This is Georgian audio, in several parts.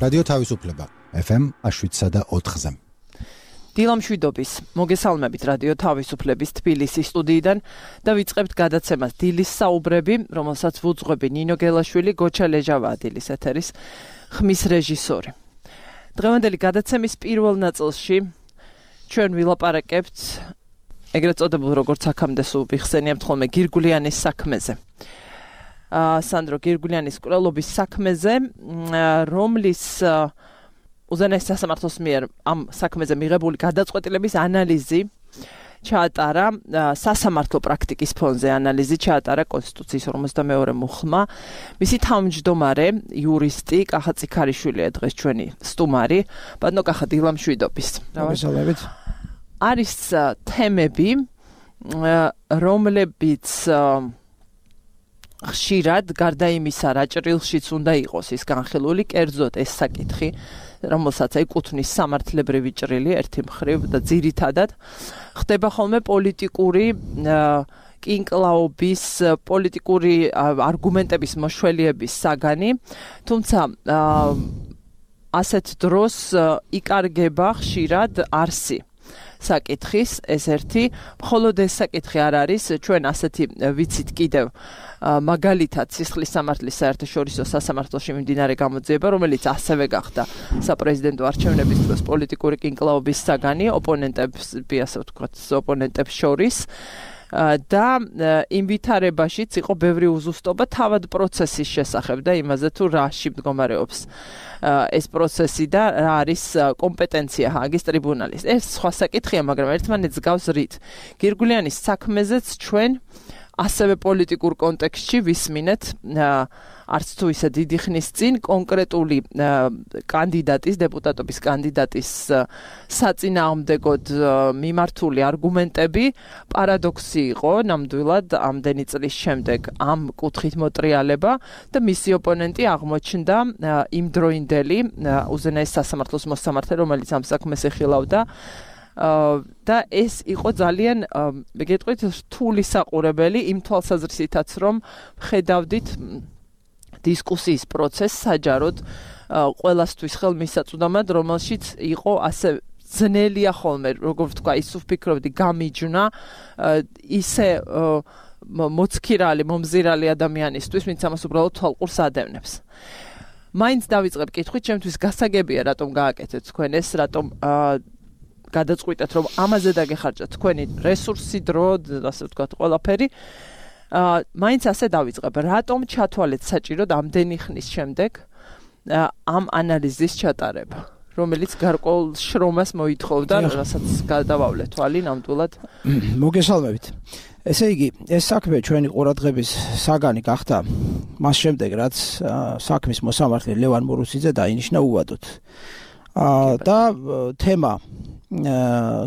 რადიო თავისუფლება FM 7.4-ზე. დილამშვიდობის მოგესალმებით რადიო თავისუფლების თბილისის სტუდიიდან და ვიწყებთ გადაცემას დილის საუბრები, რომელსაც ვუძღვები ნინო გელაშვილი, გოჩა ლეჟავაა დილის ეთერის ხმის რეჟისორი. დღევანდელი გადაცემის პირველ ნაწილში ჩვენ ვილაპარაკებთ ეგრეთ წოდებულ როგორც აქამდე სულ ვიხსენიებთ ხოლმე გირგულიანის საქმეზე. სანდრო გირგულიანის კვლელობის საქმეზე, რომლის უზენაეს სასამართლოს მიერ ამ საქმეზე მიღებული გადაწყვეტილების ანალიზი ჩაატარა სასამართლო პრაქტიკის ფონზე ანალიზი ჩაატარა კონსტიტუციის 52 მუხლმა. მისი თავმჯდომარე იურისტი კახა წიქარიშვილია დღეს ჩვენი სტუმარი. ბატონო კახა, დილამშვიდობის. მოგესალმებით. არის თემები, რომლებიც ხშირად გარდა იმისა, რა ჭრილშიც უნდა იყოს ის განხილული, კერძოდ ეს საკითხი, რომელსაც ეკუთვნის სამართლებრივი ჭრილი ერთი მხრივ და ძირითადად ხდება ხოლმე პოლიტიკური კინკლაობის, პოლიტიკური არგუმენტების მოშველიების საგანი, თუმცა ასეთ დროს იკარგება ხშირად არსი საკითხის ეს ერთი, მხოლოდ ეს საკითხი არ არის, ჩვენ ასეთი ვიცით კიდევ მაგალითად სისხლის სამართლის საერთაშორისო სასამართლოში მიმდინარე გამოძიება, რომელიც ასევე გახდა საპრეზიდენტო არჩევნების დროს პოლიტიკური კინკლაობის საგანი ოპონენტებს შორის და იმ ვითარებაშიც იყო ბევრი უზუსტობა თავად პროცესის შესახებ და იმაზე თუ რაში მდგომარეობს ეს პროცესი და რა არის კომპეტენცია ჰააგის ტრიბუნალის. ეს სხვა საკითხია, მაგრამ ერთმანეთს გავს რით. გირგულიანის საქმეზეც ჩვენ ასევე პოლიტიკურ კონტექსტში ვისმინეთ არც თუ ისე დიდი ხნის წინ კონკრეტული კანდიდატის, დეპუტატობის კანდიდატის საწინააღმდეგოდ მიმართული არგუმენტები. პარადოქსი იყო ნამდვილად ამდენი წლის შემდეგ ამ კუთხით მოტრიალება და მისი ოპონენტი აღმოჩნდა იმდროინდელი უზენაეს სასამართლოს მოსამართლე, რომელიც ამ საქმეს ეხილავდა. და ეს იყო ძალიან გეტყვით რთული საყურებელი იმ თვალსაზრისითაც, რომ ხედავდით დისკუსიის პროცესს საჯაროდ ყველასთვის ხელმისაწვდომად, რომელშიც იყო ასე ძნელია ხოლმე, როგორ ვთქვა, ის ვფიქრობდი გამიჯნა ისე მოცქირალი, მომზირალი ადამიანისთვის, ვინც ამას უბრალოდ თვალყურს ადევნებს. მაინც დავიწყებ კითხვით, ჩემთვის გასაგებია, რატომ გააკეთეთ თქვენ ეს, რატომ გადაწყვიტეთ, რომ ამაზე დაგეხარჯათ თქვენი რესურსი, დრო, ასე ვთქვათ, ყველაფერი. მაინც ასე დავიწყებ, რატომ ჩათვალეთ საჭიროდ ამდენი ხნის შემდეგ ამ ანალიზის ჩატარება, რომელიც გარკვეულ შრომას მოითხოვდა, რასაც გადავავლეთ თვალი ნამდვილად. მოგესალმებით. ესე იგი, ეს საქმე ჩვენი ყურადღების საგანი გახდა მას შემდეგ, რაც საქმის მოსამართლე ლევან მურუსიძე დაინიშნა უვადოდ. და თემა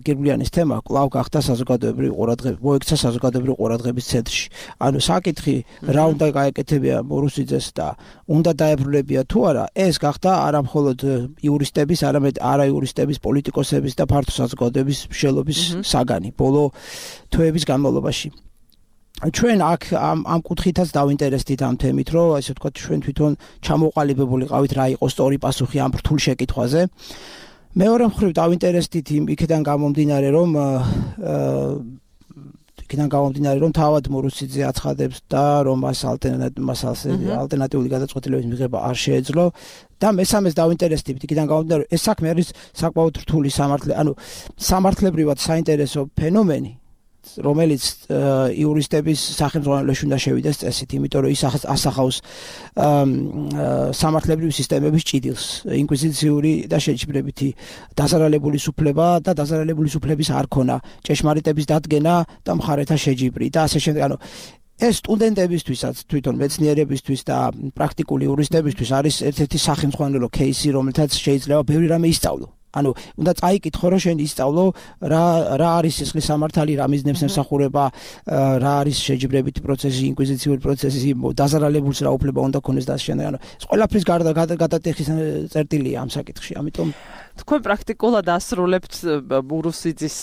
გირგულიანის თემა კვლავ გახდა საზოგადოებრივი ყურადღება, მოექცა საზოგადოებრივი ყურადღების ცენტრში. ანუ საკითხი რა უნდა გაეკეთებია მურუსიძეს და უნდა დაებრუნებია თუ არა, ეს გახდა არა მხოლოდ იურისტების, არამედ არაიურისტების, პოლიტიკოსების და ფართო საზოგადოების მსჯელობის საგანი ბოლო თვეების განმავლობაში. ჩვენ აქ ამ კუთხითაც დავინტერესდით ამ თემით, რომ ასე ვთქვათ, ჩვენ თვითონ ჩამოყალიბებული ყავით რა იყო სწორი პასუხი ამ რთულ შეკითხვაზე. მეორე მხრივ დავინტერესდით იქიდან გამომდინარე, რომ თავად მურუსიძე აცხადებს და რომ მას ალტერნატიული გადაწყვეტილების მიღება არ შეეძლო და მესამეს დავინტერესდით იქიდან გამომდინარე, ეს საქმე არის საკმაოდ რთული სამართლებრივად საინტერესო ფენომენი, რომელიც იურისტების სახელმძღვანელოში უნდა შევიდეს წესით, იმიტომ რომ ის ასახავს სამართლებრივი სისტემების ჭიდილს, ინკვიზიციური და შეჯიბრებითი დაზარალებული სუფლება და დაზარალებული სუფლების არქონა, ჭეშმარიტების დადგენა და მხარეთა შეჯიბრი და ასე შემდეგ. ანუ ეს სტუდენტებისთვისაც, თვითონ მეცნიერებისთვის და პრაქტიკული იურისტებისთვის არის ერთ-ერთი სახელმძღვანელო кейსი, რომელთაც შეიძლება ბევრი რამე ისწავლო. ანუ უნდა წაიკითხო რომ შენ ისწავლო რა არის სისხლის სამართალი, რა მიზნებს ემსახურება, რა არის შეჯიბრებითი პროცესი, ინკვიზიციური პროცესი, დაზარალებულს რა უფლება უნდა ქონდეს და შენ ანუ ყველაფრის გადატეხის წერტილია ამ საკითხში. ამიტომ თქვენ პრაქტიკულად ასრულებთ მურუსიძის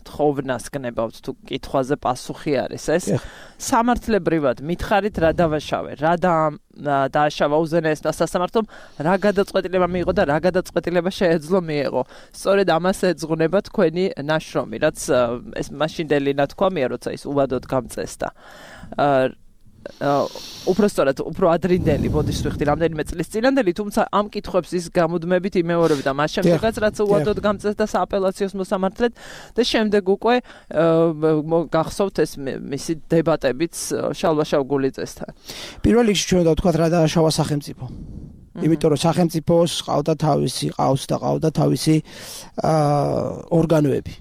თხოვნას გნებავთ თუ კითხვაზე პასუხი არის ეს სამართლებრივად მითხარით რა დავაშავე რა დააშავა უზენაესმა სასამართლომ რა გადაწყვეტილება მიიღო და რა გადაწყვეტილება შეეძლო მიიღო სწორედ ამას ეძღვნება თქვენი ნაშრომი რაც ეს მაშინდელი ნათქვამია როცა ის უვადოდ გამწესდა უпростоრად უფრო ადრინდელი ბოდიშს ვიხდი რამდენიმე წლის წინანდელი თუმცა ამ კითხვებს ის გამუდმებით იმეორებდა მას შემდეგაც რაც უვადოდ გამწესდა სააპელაციოს მოსამართლედ და შემდეგ უკვე გახსოვთ ეს მისი დებატებიც შალვა გულიძესთან პირველ რიგში ჩვენ დავთქვათ რა დააშავა სახელმწიფო იმიტომ რომ სახელმწიფოს ყავდა თავისი ორგანოები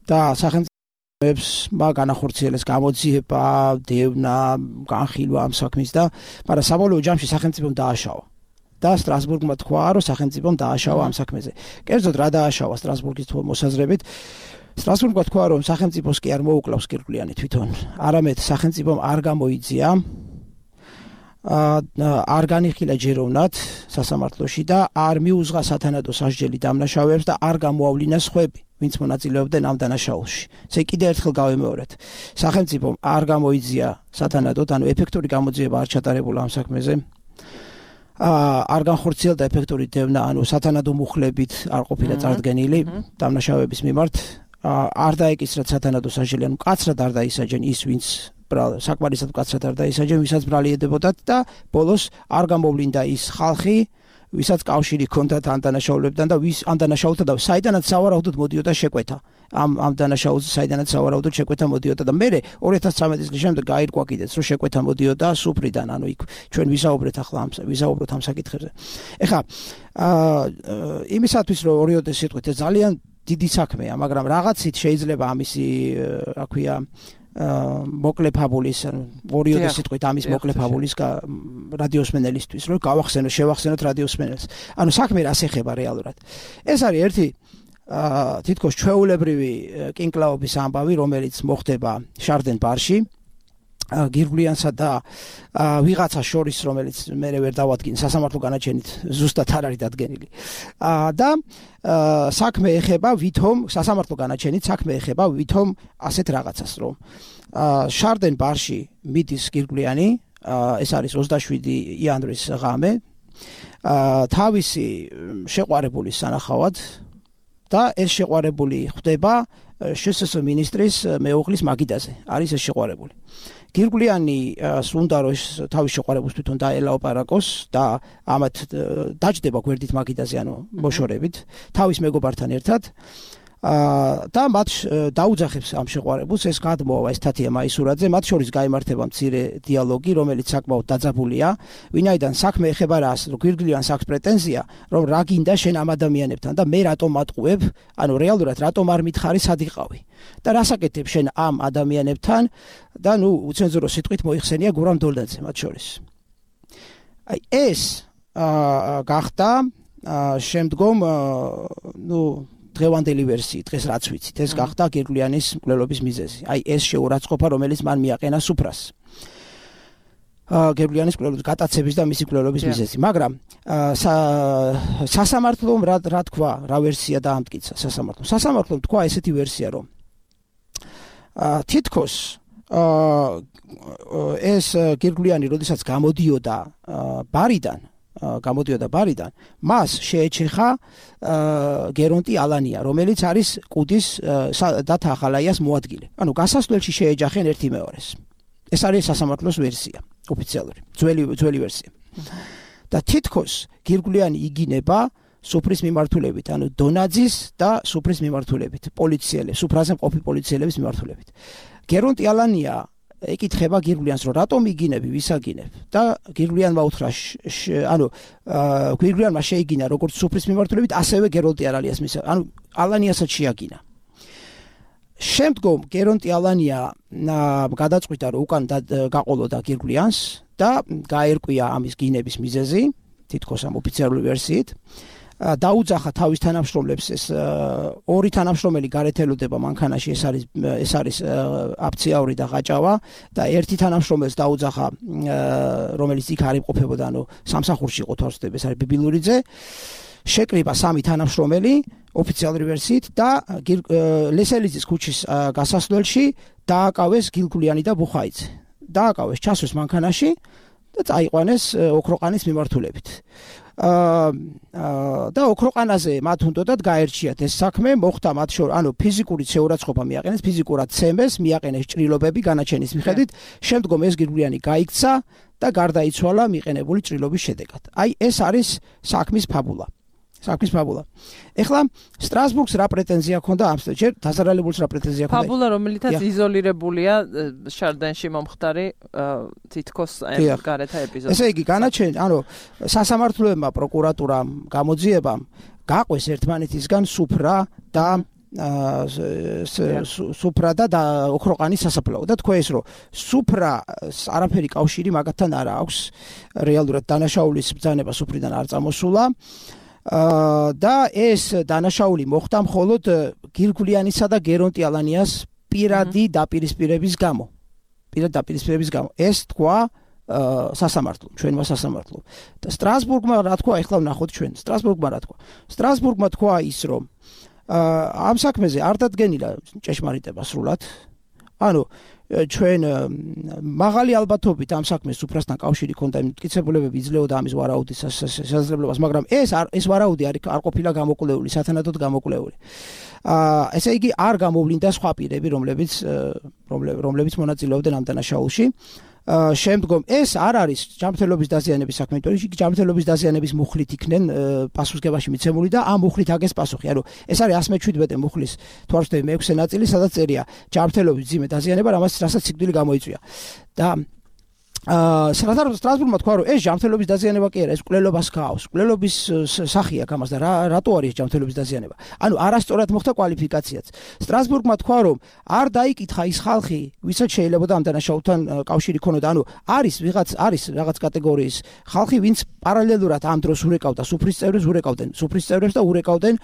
და სახელმწიფო განახორციელეს გამოძიება, დევნა, განხილვა ამ საქმის და მაგრამ საბოლოო ჯამში სახელმწიფომ დააშავა. და სტრასბურგმა თქვა, რომ სახელმწიფომ დააშავა ამ საქმეზე. კერძოდ რა დააშავა სტრასბურგის მოსაზრებით? სტრასბურგმა თქვა, რომ სახელმწიფოს კი არ მოუკლავს კირკვლიანი თვითონ, არამედ სახელმწიფომ არ გამოიძია არ განიხილა ჯეროვნად სასამართლოში და არ მიუძღა სათანადო სასჯელი დამნაშავეებს და არ გამოავლინა სხვები, ვინც მონაწილეობდნენ ამ დანაშაულში. ესე კიდევ ერთხელ გავემეორეთ. სახელმწიფომ არ გამოიძია სათანადოდ, ანუ ეფექტური გამოძიება არ ჩატარებულა ამ საქმეზე. არ განხორციელდა ეფექტური დევნა, ანუ სათანადო მუხლებით არ ყოფილა წარდგენილი დამნაშავეების მიმართ. არ დაეკისრა სათანადო სასჯელი, ანუ კაცრად არ დაისაჯენ ის, ვინც საკმარისად კაცრად არ დაისაჯენ, ვისაც ბრალიედებოდათ და ბოლოს არ გამოვლინდა ის ხალხი, ვისაც კავშირი ჰქონდათ ამ დანაშაულებთან და ვის ამ დანაშაულთან და საიდანაც სავარაუდოდ მოდიოდა შეკვეთა. ამ დანაშაულზე საიდანაც სავარაუდოდ შეკვეთა მოდიოდა და მე 2013 წლის შემდეგ გაირკვა კიდეც რომ შეკვეთა მოდიოდა სუფრიდან, ანუ იქ ჩვენ ვისაუბროთ ამ საკითხებზე. ეხლა იმისათვის რომ ორიოდეს სიტყვით ეს ძალიან დიდი საქმეა, მაგრამ რაღაცით შეიძლება ამისი რა ქვია მოკლე ფაბულის ორიოდეს სიტყვით ამის მოკლე ფაბულის რადიოსმენელისთვის რომ შევახსენოთ რადიოსმენელს. ანუ საქმე რას ეხება რეალურად. ეს არის ერთი თითქოს ჩვეულებრივი კინკლაობის ამბავი, რომელიც მოხდება შარდენ ბარში გირგვლიანსა და ვიღაცა შორის, რომელიც მე ვერ დავადგინე სასამართლო განაჩენით ზუსტად არ არის დადგენილი. და საქმე ეხება ვითომ სასამართლო განაჩენით საქმე ეხება ვითომ ასეთ რაღაცას, რომ შარდენ ბარში მიდის გირგვლიანი, ეს არის 27 იანვრის ღამე, თავისი შეყვარებულის სანახავად და ეს შეყვარებული ხდება შსს მინისტრის მეუღლის მაგიდაზე. არის ეს შეყვარებული. გირგვლიანი სუნდა რომ თავის შეყვარებულს თვითონ დაელაპარაკოს და ამათ დაჯდება გვერდით მაგიდაზე, ანუ მოშორებით, თავის მეგობართან ერთად და მათ დაუძახებს ამ შეყვარებულს, ეს გადმოავა ეს თათია მაისურაძე, მათ შორის გაიმართება მცირე დიალოგი, რომელიც საკმაოდ დაძაბულია, ვინაიდან საქმე ეხება რას, რომ გირგვლიანს აქვს პრეტენზია, რომ რა გინდა შენ ამ ადამიანებთან და მე რატომ მატყუებ, ანუ რეალურად რატომ არ მითხარი სად იყავი და რას აკეთებ შენ ამ ადამიანებთან და ნუ უცენზურო სიტყვით მოიხსენია გურამ დოლდაძე მათ შორის. აი ეს გახდა შემდგომ ნუ დღევანდელი ვერსიით, დღეს რაც ვიცით, ეს გახდა გირგვლიანის მკვლელობის მიზეზი. აი ეს შეურაცხყოფა, რომელიც მან მიაყენა სუფრას. გირგვლიანის მკვლელობის გატაცების და მისი მკვლელობის მიზეზი. მაგრამ სასამართლომ რა თქვა, რა ვერსია დაამტკიცა სასამართლომ. სასამართლომ თქვა ესეთი ვერსია, რომ თითქოს ეს გირგვლიანი, როდესაც გამოდიოდა ბარიდან, მას შეეჩეხა გერონტი ალანია, რომელიც არის კუდის და თახალაიას მოადგილე. ანუ გასასვლელში შეეჯახენ ერთი მეორეს. ეს არის სასამართლოს ვერსია, ოფიციალური, ძველი ვერსია. და თითქოს გირგვლიანი იგინება სუფრის მიმართულებით, ანუ დონაძის და სუფრის მიმართულებით, სუფრაზე მყოფი პოლიციელების მიმართულებით. გერონტი ალანია ეკითხება გირგვლიანს, რომ რატომ იგინები, ვის აგინებ? და გირგვლიანმა უთხრა, ანუ გირგვლიანმა შეიგინა როგორც სუფრის მიმართულებით, ასევე გერონტი ანუ ალანიასაც შეაგინა. შემდგომ გერონტი ალანია გადაწყვიტა, რომ უკან გაყოლოდა გირგვლიანს და გაერკვია ამის გინების მიზეზი, თითქოს ამ ოფიციალური ვერსიით. დაუძახა თავის თანამშრომლებს ეს ორი თანამშრომელი გარეთ ელოდება მანქანაში ეს არის აფციაური და გაჭავა და ერთი თანამშრომელს დაუძახა რომელიც იქ არ იმყოფებოდა სამსახურში იყო თორსდები ეს არის ბიბილურიძე შეკრიბა სამი თანამშრომელი ოფიციალური ვერსიით და ლესელიძის ქუჩის გასასვლელში დააკავეს გილგულიანი და ბუხაიძე დააკავეს ჩასვეს მანქანაში და წაიყვანეს ოქროყანის მიმართულებით და ოქროყანაზე მათ უნდათ გაერჩიათ ეს საქმე მოხდა მათ შორის ფიზიკური შეურაცხყოფა მიაყენეს ფიზიკურად ცემეს მიაყენეს ჭრილობები განაჩენის მიხედვით შემდგომ ეს გილგულიანი გაიქცა და გარდაიცვალა მიყენებული ჭრილობის შედეგად აი ეს არის საქმის ფაბულა ეხლა სტრასბურგს რა პრეტენზია ჰქონდა ამ ჯერ დაზარალებულს რა პრეტენზია ჰქონდა ფაბულა რომელითაც იზოლირებულია შარდენში მომხდარი თითქოს გარეთა ეპიზოდი ესე იგი განაჩენი სასამართლოებმა პროკურატურამ გამოძიებამ გაყვეს ერთმანეთისგან სუფრა და ოქროყანის სასაფლაო და თქვა ეს რომ სუფრას არაფერი კავშირი მაგათთან არ აქვს რეალურად დანაშაულის ბრძანება სუფრიდან არ წამოსულა და ეს დანაშაული მოხდა მხოლოდ გილგულიანისა და გერონტი ალანიას პირადი დაპირისპირების გამო ეს თქვა სასამართლო ჩვენმა სასამართლომ და სტრასბურგმა რა თქვა ეხლა ვნახოთ ჩვენ სტრასბურგმა თქვა ის რომ ამ საქმეზე არ დადგენილა ჭეშმარიტება სრულად ჩვენ მაღალი ალბათობით ამ საქმეს სუფრასთან კავშირი ჰქონდა მტკიცებულებები იძლეოდა ამის ვარაუდის შესაძლებლობას მაგრამ ეს ვარაუდი არ ყოფილა გამოკვლეული სათანადოდ გამოკვლეული ესე იგი არ გამოვლინდა სხვა პირები რომლებიც მონაწილეობდნენ ამ დანაშაულში შემდგომ ეს არ არის ჯანმრთელობის დაზიანების საქმე, იმიტომ რომ ჯანმრთელობის დაზიანების მუხლით იქნენ პასუხისგებაში მიცემული და ამ მუხლით აგეს პასუხი. ანუ ეს არის 117 მუხლის თვალსაჩინო მე-6 ნაწილი, სადაც წერია ჯანმრთელობის ძიმე დაზიანება, რასაც სიკვდილი გამოიწვია. და სტრასბურგმა თქვა რომ ეს ჯანმრთელობის დაზიანება კი არა, ეს კვლელობას გაავს. კვლელობის სახია გამას და რატო არის ჯანმრთელობის დაზიანება? ანუ არასწორად მოხდა კვალიფიკაციაც. სტრასბურგმა თქვა რომ არ დაიკითხა ის ხალხი, ვისაც შეიძლება ამ დანაშაულთან კავშირი ქონოდა. ანუ არის რაღაც კატეგორიის ხალხი, ვინც პარალელურად ამ დროს ურეკავდა სუფრის წევრებს და урეკავდნენ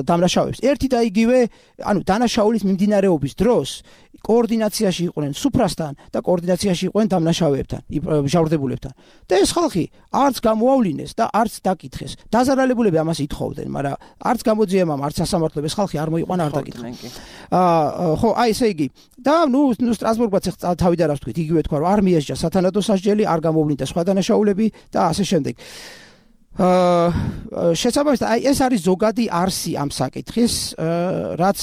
დამნაშავეებს. ერთი და იგივე, ანუ დანაშაულის მიმდინარეობის დროს კოორდინაციაში იყვნენ სუფრასთან და კოორდინაციაში იყვნენ დამნაშავეებთან, მჟავრდებულებთან. და ეს ხალხი არც გამოავლინეს და არც დაკითხეს. დაზარალებულები ამას ითხოვდნენ, მაგრამ არც გამოძიებამ, არც სასამართლომ ეს ხალხი არ მოიყვანა, არ დაკითხა. ხო, აი ესე იგი. და სტრასბურგმაც თავიდან რას თქვით, იგივე თქვა რომ არ მიესჯა სათანადო სასჯელი, არ გამოვლინდა სხვა დანაშაულები და ასე შემდეგ. შესაბამისად, აი ეს არის ზოგადი არსი ამ საკითხის, რაც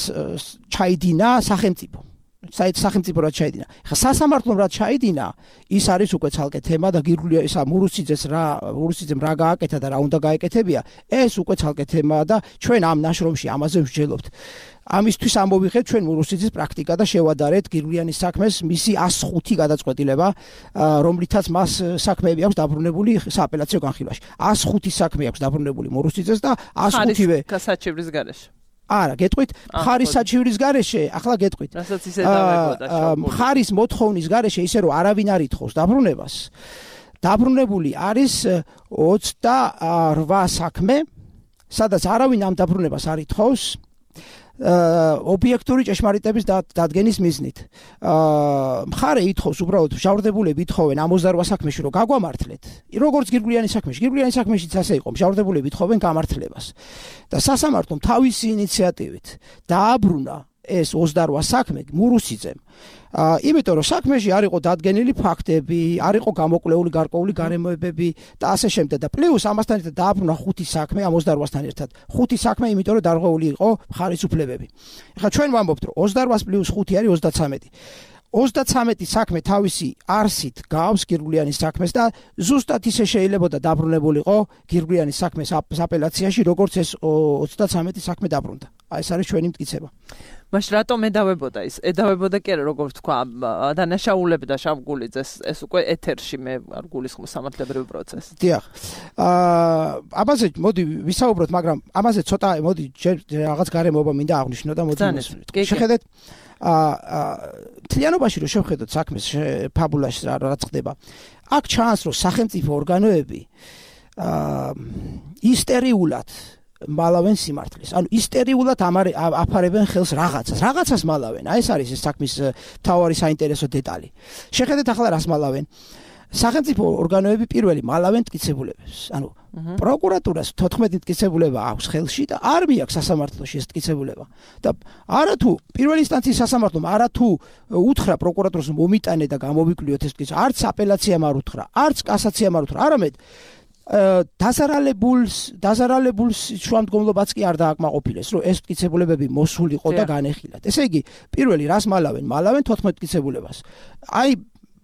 ჩაიდინა სახელმწიფო. სახელმწიფო რაც ჩაიდინა. ხა სასამართლომ რაც ჩაიდინა, ის არის უკვე ცალკე თემა და გირგულია ისა მურუსიძემ რა გააკეთა და რა უნდა გაეკეთებია, ეს უკვე ცალკე თემაა და ჩვენ ამ ნაშრომში ამაზე ვსჯელობთ. ამისთვის ამოვიღეთ ჩვენ მურუსიძის პრაქტიკა და შევადარეთ გირგულიანის საქმეს მისი 105 გადაწყვეტილება, რომლითაც მას საქმეები აქვს დაბრუნებული სააპელაციო განხილვაში. 105 საქმე აქვს დაბრუნებული მურუსიძეს და 105-ვე საჩივრის გარეშე. არა, გეტყვით, მხარის საჩივრის გარეშე, ახლა გეტყვით. რასაც ისე დავებოდა. მხარის მოთხოვნის გარეშე ისე რომ არავინ არ ითხოვს დაბრუნებას. დაბრუნებული არის 28 საქმე, სადაც არავინ ამ დაბრუნებას არ ითხოვს. ობიექტური ჭეშმარიტების დადგენის მიზნით. მხარე ითხოვს უბრალოდ მჟავრდებულები ითხოვენ ამ 28 საქმეში რომ გაგვამართლეთ. როგორც გირგულიანის საქმეშიც ასე იყო, მჟავრდებულები ითხოვენ გამართლებას. და სასამართლომ თავისი ინიციატივით დააბრუნა ეს 28 საქმე მურუსიძემ. იმიტომ რომ საქმეში არ იყო დადგენილი ფაქტები, არ იყო გამოკვლეული გარკვეული გარემოებები და ასე შემდეგ და პლუს ამასთან ერთად დააბრუნა 5 საქმე ამ 28-სთან ერთად. 5 საქმე, იმიტომ რომ დარღვეული იყო მხარის უფლებები. ეხლა ჩვენ ვამბობთ რომ 28 + 5 არის 33. 33 საქმე თავისი არსით გავს გირგულიანის საქმეს და ზუსტად ისე შეიძლებოდა დაბრუნებულიყო გირგულიანის საქმეს აპელაციაში, როგორც ეს 33 საქმე დაბრუნდა. აი ეს არის ჩვენი მტკიცება. მაშ რატომ ედავებოდა ის? ედავებოდა კი არა, როგორც თქვა, დანაშაულები და შავგულიძეს ეს უკვე ეთერში მე არ გულისხმობ სამართლებრივ პროცესს. დიახ. ამაზე მოდი ვისაუბროთ, მაგრამ ამაზე ცოტა მოდი რაღაც გარემოება მინდა აღვნიშნო და მოდი შეხედეთ. თლიანობაში რომ შევხედოთ საქმეს ფაბულაში რაც ხდება. აქ ჩანს რომ სახელმწიფო ორგანოები ისტერიულად მალავენ სიმართლეს. ანუ ისტერიულად აფარებენ ხელს რაღაცას მალავენ. ეს არის ეს საქმის მთავარი საინტერესო დეტალი. შეხედეთ ახლა რას მალავენ. სახელმწიფო ორგანოები პირველი მალავენ მტკიცებულებებს. ანუ პროკურატურას 14 მტკიცებულება აქვს ხელში და არ მიაქვს სასამართლოში ეს მტკიცებულება. და არათუ პირველი ინსტანციის სასამართლომ არათუ უთხრა პროკურატურას მომიტანე და გამოვიკვლიოთ ეს მტკიცება, არც აპელაციამ არ უთხრა, არც კასაციამ არ უთხრა, არამედ დაზარალებულს შუამდგომლობაც კი არ დააკმაყოფილეს, რომ ეს მტკიცებულებები მოსულიყო და განეხილათ. ესე იგი, პირველი რას მალავენ 14 მტკიცებულებას. აი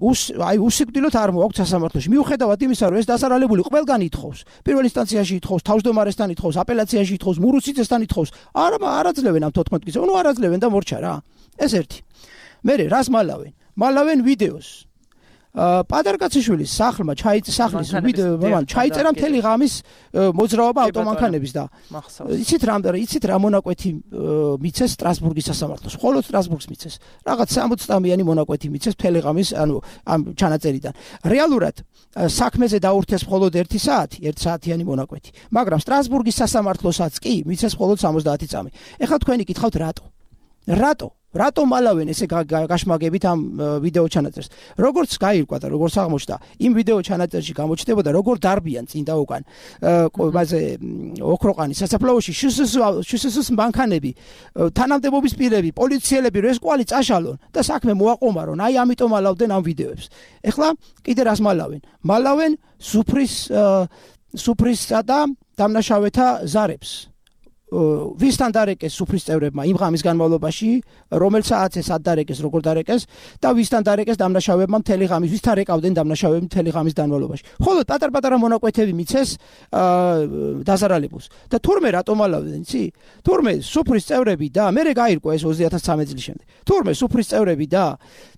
უსიკვდილოდ არ მოაქვს სასამართლოში. მიუხედავად იმისა, რომ ეს დაზარალებული ყველგან ითხოვს. პირველ ინსტანციაში ითხოვს, თავმჯდომარესთან ითხოვს, აპელაციაში ითხოვს, მურუსიძესთან ითხოვს. არაძლევენ ამ 14 მტკიცებულებას. ნუ არაძლევენ და მორჩა რა. ეს ერთი. მერე რას მალავენ? მალავენ ვიდეოს. პატარკაციშვილის სახლმა ჩაიწერა მთელი ღამის მოძრაობა ავტომანქანების და იცით რა მონაკვეთი მიცეს სტრასბურგის სასამართლოს. მხოლოდ სტრასბურგს მიცეს. რაღაც 60-მიანი მონაკვეთი მიცეს მთელი ღამის, ანუ ამ ჩანაწერიდან. რეალურად საქმეზე დაურთეს მხოლოდ 1 საათიანი მონაკვეთი. მაგრამ სტრასბურგის სასამართლოსაც კი მიცეს მხოლოდ 70 წამი. ეხლა თქვენი გითხავთ რატო მალავენ ესე გაშმაგებით ამ ვიდეო ჩანაწერს? როგორც გაირკვა და როგორც აღმოჩნდა, იმ ვიდეო ჩანაწერში გამოჩნდებოდა როგორ დარბიან წინ და უკან ყობაზე ოქროყანის სასაფლაოში შსს მანქანები, თანამდებობის პირები, პოლიციელები, რომ ეს კვალი წაშალონ და საქმე მოაყომარონ. აი ამიტომ მალავდნენ ამ ვიდეოებს. ეხლა კიდე რას მალავენ? მალავენ სუფრისსა და დამნაშავეთა ზარებს. ვისთან დარეკეს სუფრის წევრებმა იმ ღამის განმავლობაში, რომელსაც ეს ადარეკეს, როგორ დარეკეს და ვისთან დარეკეს დამნაშავებმა მთელი ღამის, ვისთან რეკავდნენ დამნაშავეები მთელი ღამის განმავლობაში. ხოლო პატარ-პატარა მონაკვეთები მიცეს დაზარალებულს. და თურმე რატომ მალავდნენ, იცი? თურმე სუფრის წევრები და მერე გაირკვა ეს 2013 წლის შემდეგ. თურმე სუფრის წევრები და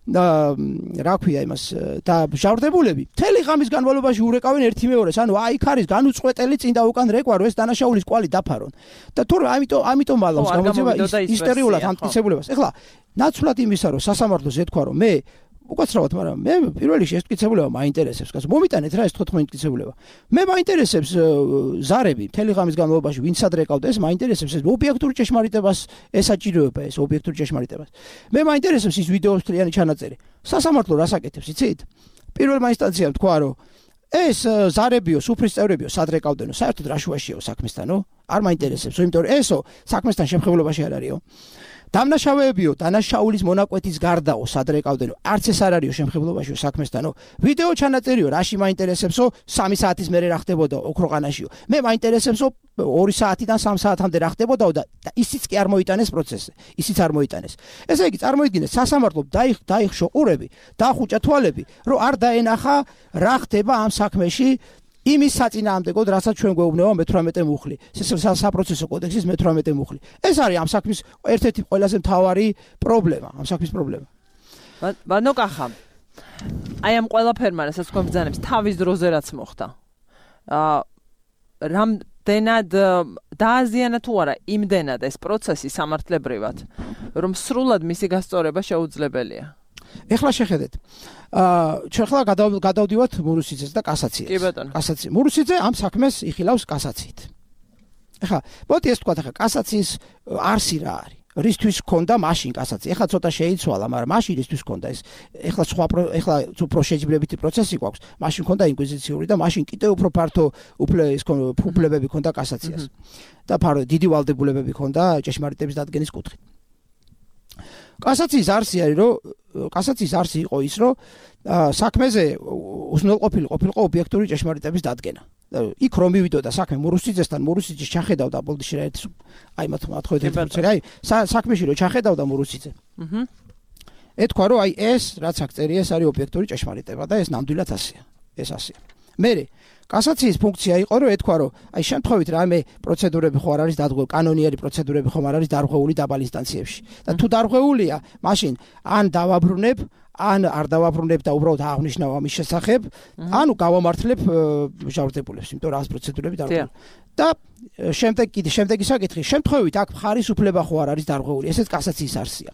რა ქვია იმას და ჟავრდებულები მთელი ღამის განმავლობაში ურეკავენ ერთი მეორეს. ანუ აი იქ არის განუწყვეტელი წინ და უკან რეკვა, რომ ეს დანაშაულის კვალი დაფარონ. და თორე ამიტომ მალავს გამოძება ისტორიულად ამ მტკიცებულებას. ეხლა ნაცვლად იმისა, რომ სასამართლოს ეთქვა, რომ მე უკაცრავად, მაგრამ მე პირველი ეს მტკიცებულება მაინტერესებს, კაცო. მომიტანეთ რა ეს 14 მტკიცებულება. მე მაინტერესებს ზარები მთელი ღამის განმავლობაში ვინც ადრეკავდა, ეს მაინტერესებს ეს ობიექტური ჭეშმარიტებას ესაჭიროება ეს ობიექტური ჭეშმარიტებას. მე მაინტერესებს ის ვიდეოს მთლიანი ჩანაწერი. სასამართლო რას აკეთებს, იცით? პირველმა ინსტანციამ თქვა, რომ ეს ზარებიო, სუფრის წევრებიო, სადრეკავდენო, საერთოდ რა შუაშიაო საქმესთანო? არ მაინტერესებს, იმიტომ რომ ესო საქმესთან შემხებლობაში არ არისო. დამნაშავეებიო, დანაშაულის მონაკვეთის გარდაო, სადრეკავდენო, არც ეს არ არისო შემხებლობაშიო საქმესთანო. ვიდეო ჩანაწერიო, რაში მაინტერესებსო, 3 საათის მერე რა ხდებოდა ოქროყანაშიო. მე მაინტერესებსო 2 საათიდან 3 საათამდე რა ხდებოდაო და ისიც კი არ მოიტანეს პროცესზე. ისიც არ მოიტანეს. ესე იგი, წარმოიდგინეთ, სასამართლომ დაიხშო ყურები, დაახუჭა თვალები, რომ არ დაენახა რა ხდება ამ საქმეში. იმის საწინააღმდეგოდ, რასაც ჩვენ გვეუბნება 18 მუხლი, საპროცესო კოდექსის 18 მუხლი. ეს არის ამ საქმის ერთ-ერთი ყველაზე მთავარი პრობლემა, ამ საქმის პრობლემა. ბანო კახა. აი ამ ყველაფერმა, რასაც თქვენ ბრძანებს, თავის დროზე რაც მოხდა. რამდენად დააზიანა თუ არა იმდენად ეს პროცესი სამართლებრივად, რომ სრულად მისი გასწორება შეუძლებელია. ეხლა შეხედეთ. ჩვენ ხლა გადავდივართ მურუსიძეს და კასაციას. კი ბატონო. კასაცია. მურუსიძე ამ საქმეს იხილავს კასაციით. ეხლა, მოდი ეს თქვა, ეხლა კასაციის არსი რა არის? რისთვის ქონდა მაშინ კასაცია? ეხლა ცოტა შეიცვალა, მაგრამ მაშინ რისთვის ქონდა ეს? ეხლა უფრო შეჯიბრებითი პროცესი გვაქვს. მაშინ ქონდა ინკვიზიციური და მაშინ კიდევ უფრო ფართო უფლებები ქონდა კასაციას. და დიდი ვალდებულებები ქონდა ჭეშმარიტების დადგენის კუთხით. კასაციის არსი არის, რომ კასაციის არსი იყო ის, რომ საქმეზე უზრუნველყოფილი ყოფილიყო ობიექტური ჭეშმარიტების დადგენა. იქ რომ მივიდოდა საქმე მურუსიძესთან, მურუსიძე ჩახედავდა ბოლდიში რა ერთ აი მათ აი საქმეში რომ ჩახედავდა მურუსიძე. ეთქვა, რომ აი ეს რაც აქ წერია, ეს არის ობიექტური ჭეშმარიტება და ეს ნამდვილად ასეა. ეს ასეა. მერე კასაციის ფუნქცია იყო, რომ ეთქვა, რომ აი შემთხვევით რამე პროცედურები ხო არ არის დარღვეული, კანონიერი პროცედურები ხომ არ არის დარღვეული დაბალ ინსტანციებში. და თუ დარღვეულია, მაშინ ან დავაბრუნებ, ან არ დავაბრუნებ და უბრალოდ აღნიშნავ ამის შესახებ, ანუ გავამართლებ ჟავრდებულებს, იმიტომ რომ ამ პროცედურები დარღვეული. და შემდეგი საკითხი, შემთხვევით აქ მხარის უფლება ხო არ არის დარღვეული, ესეც კასაციის არსია.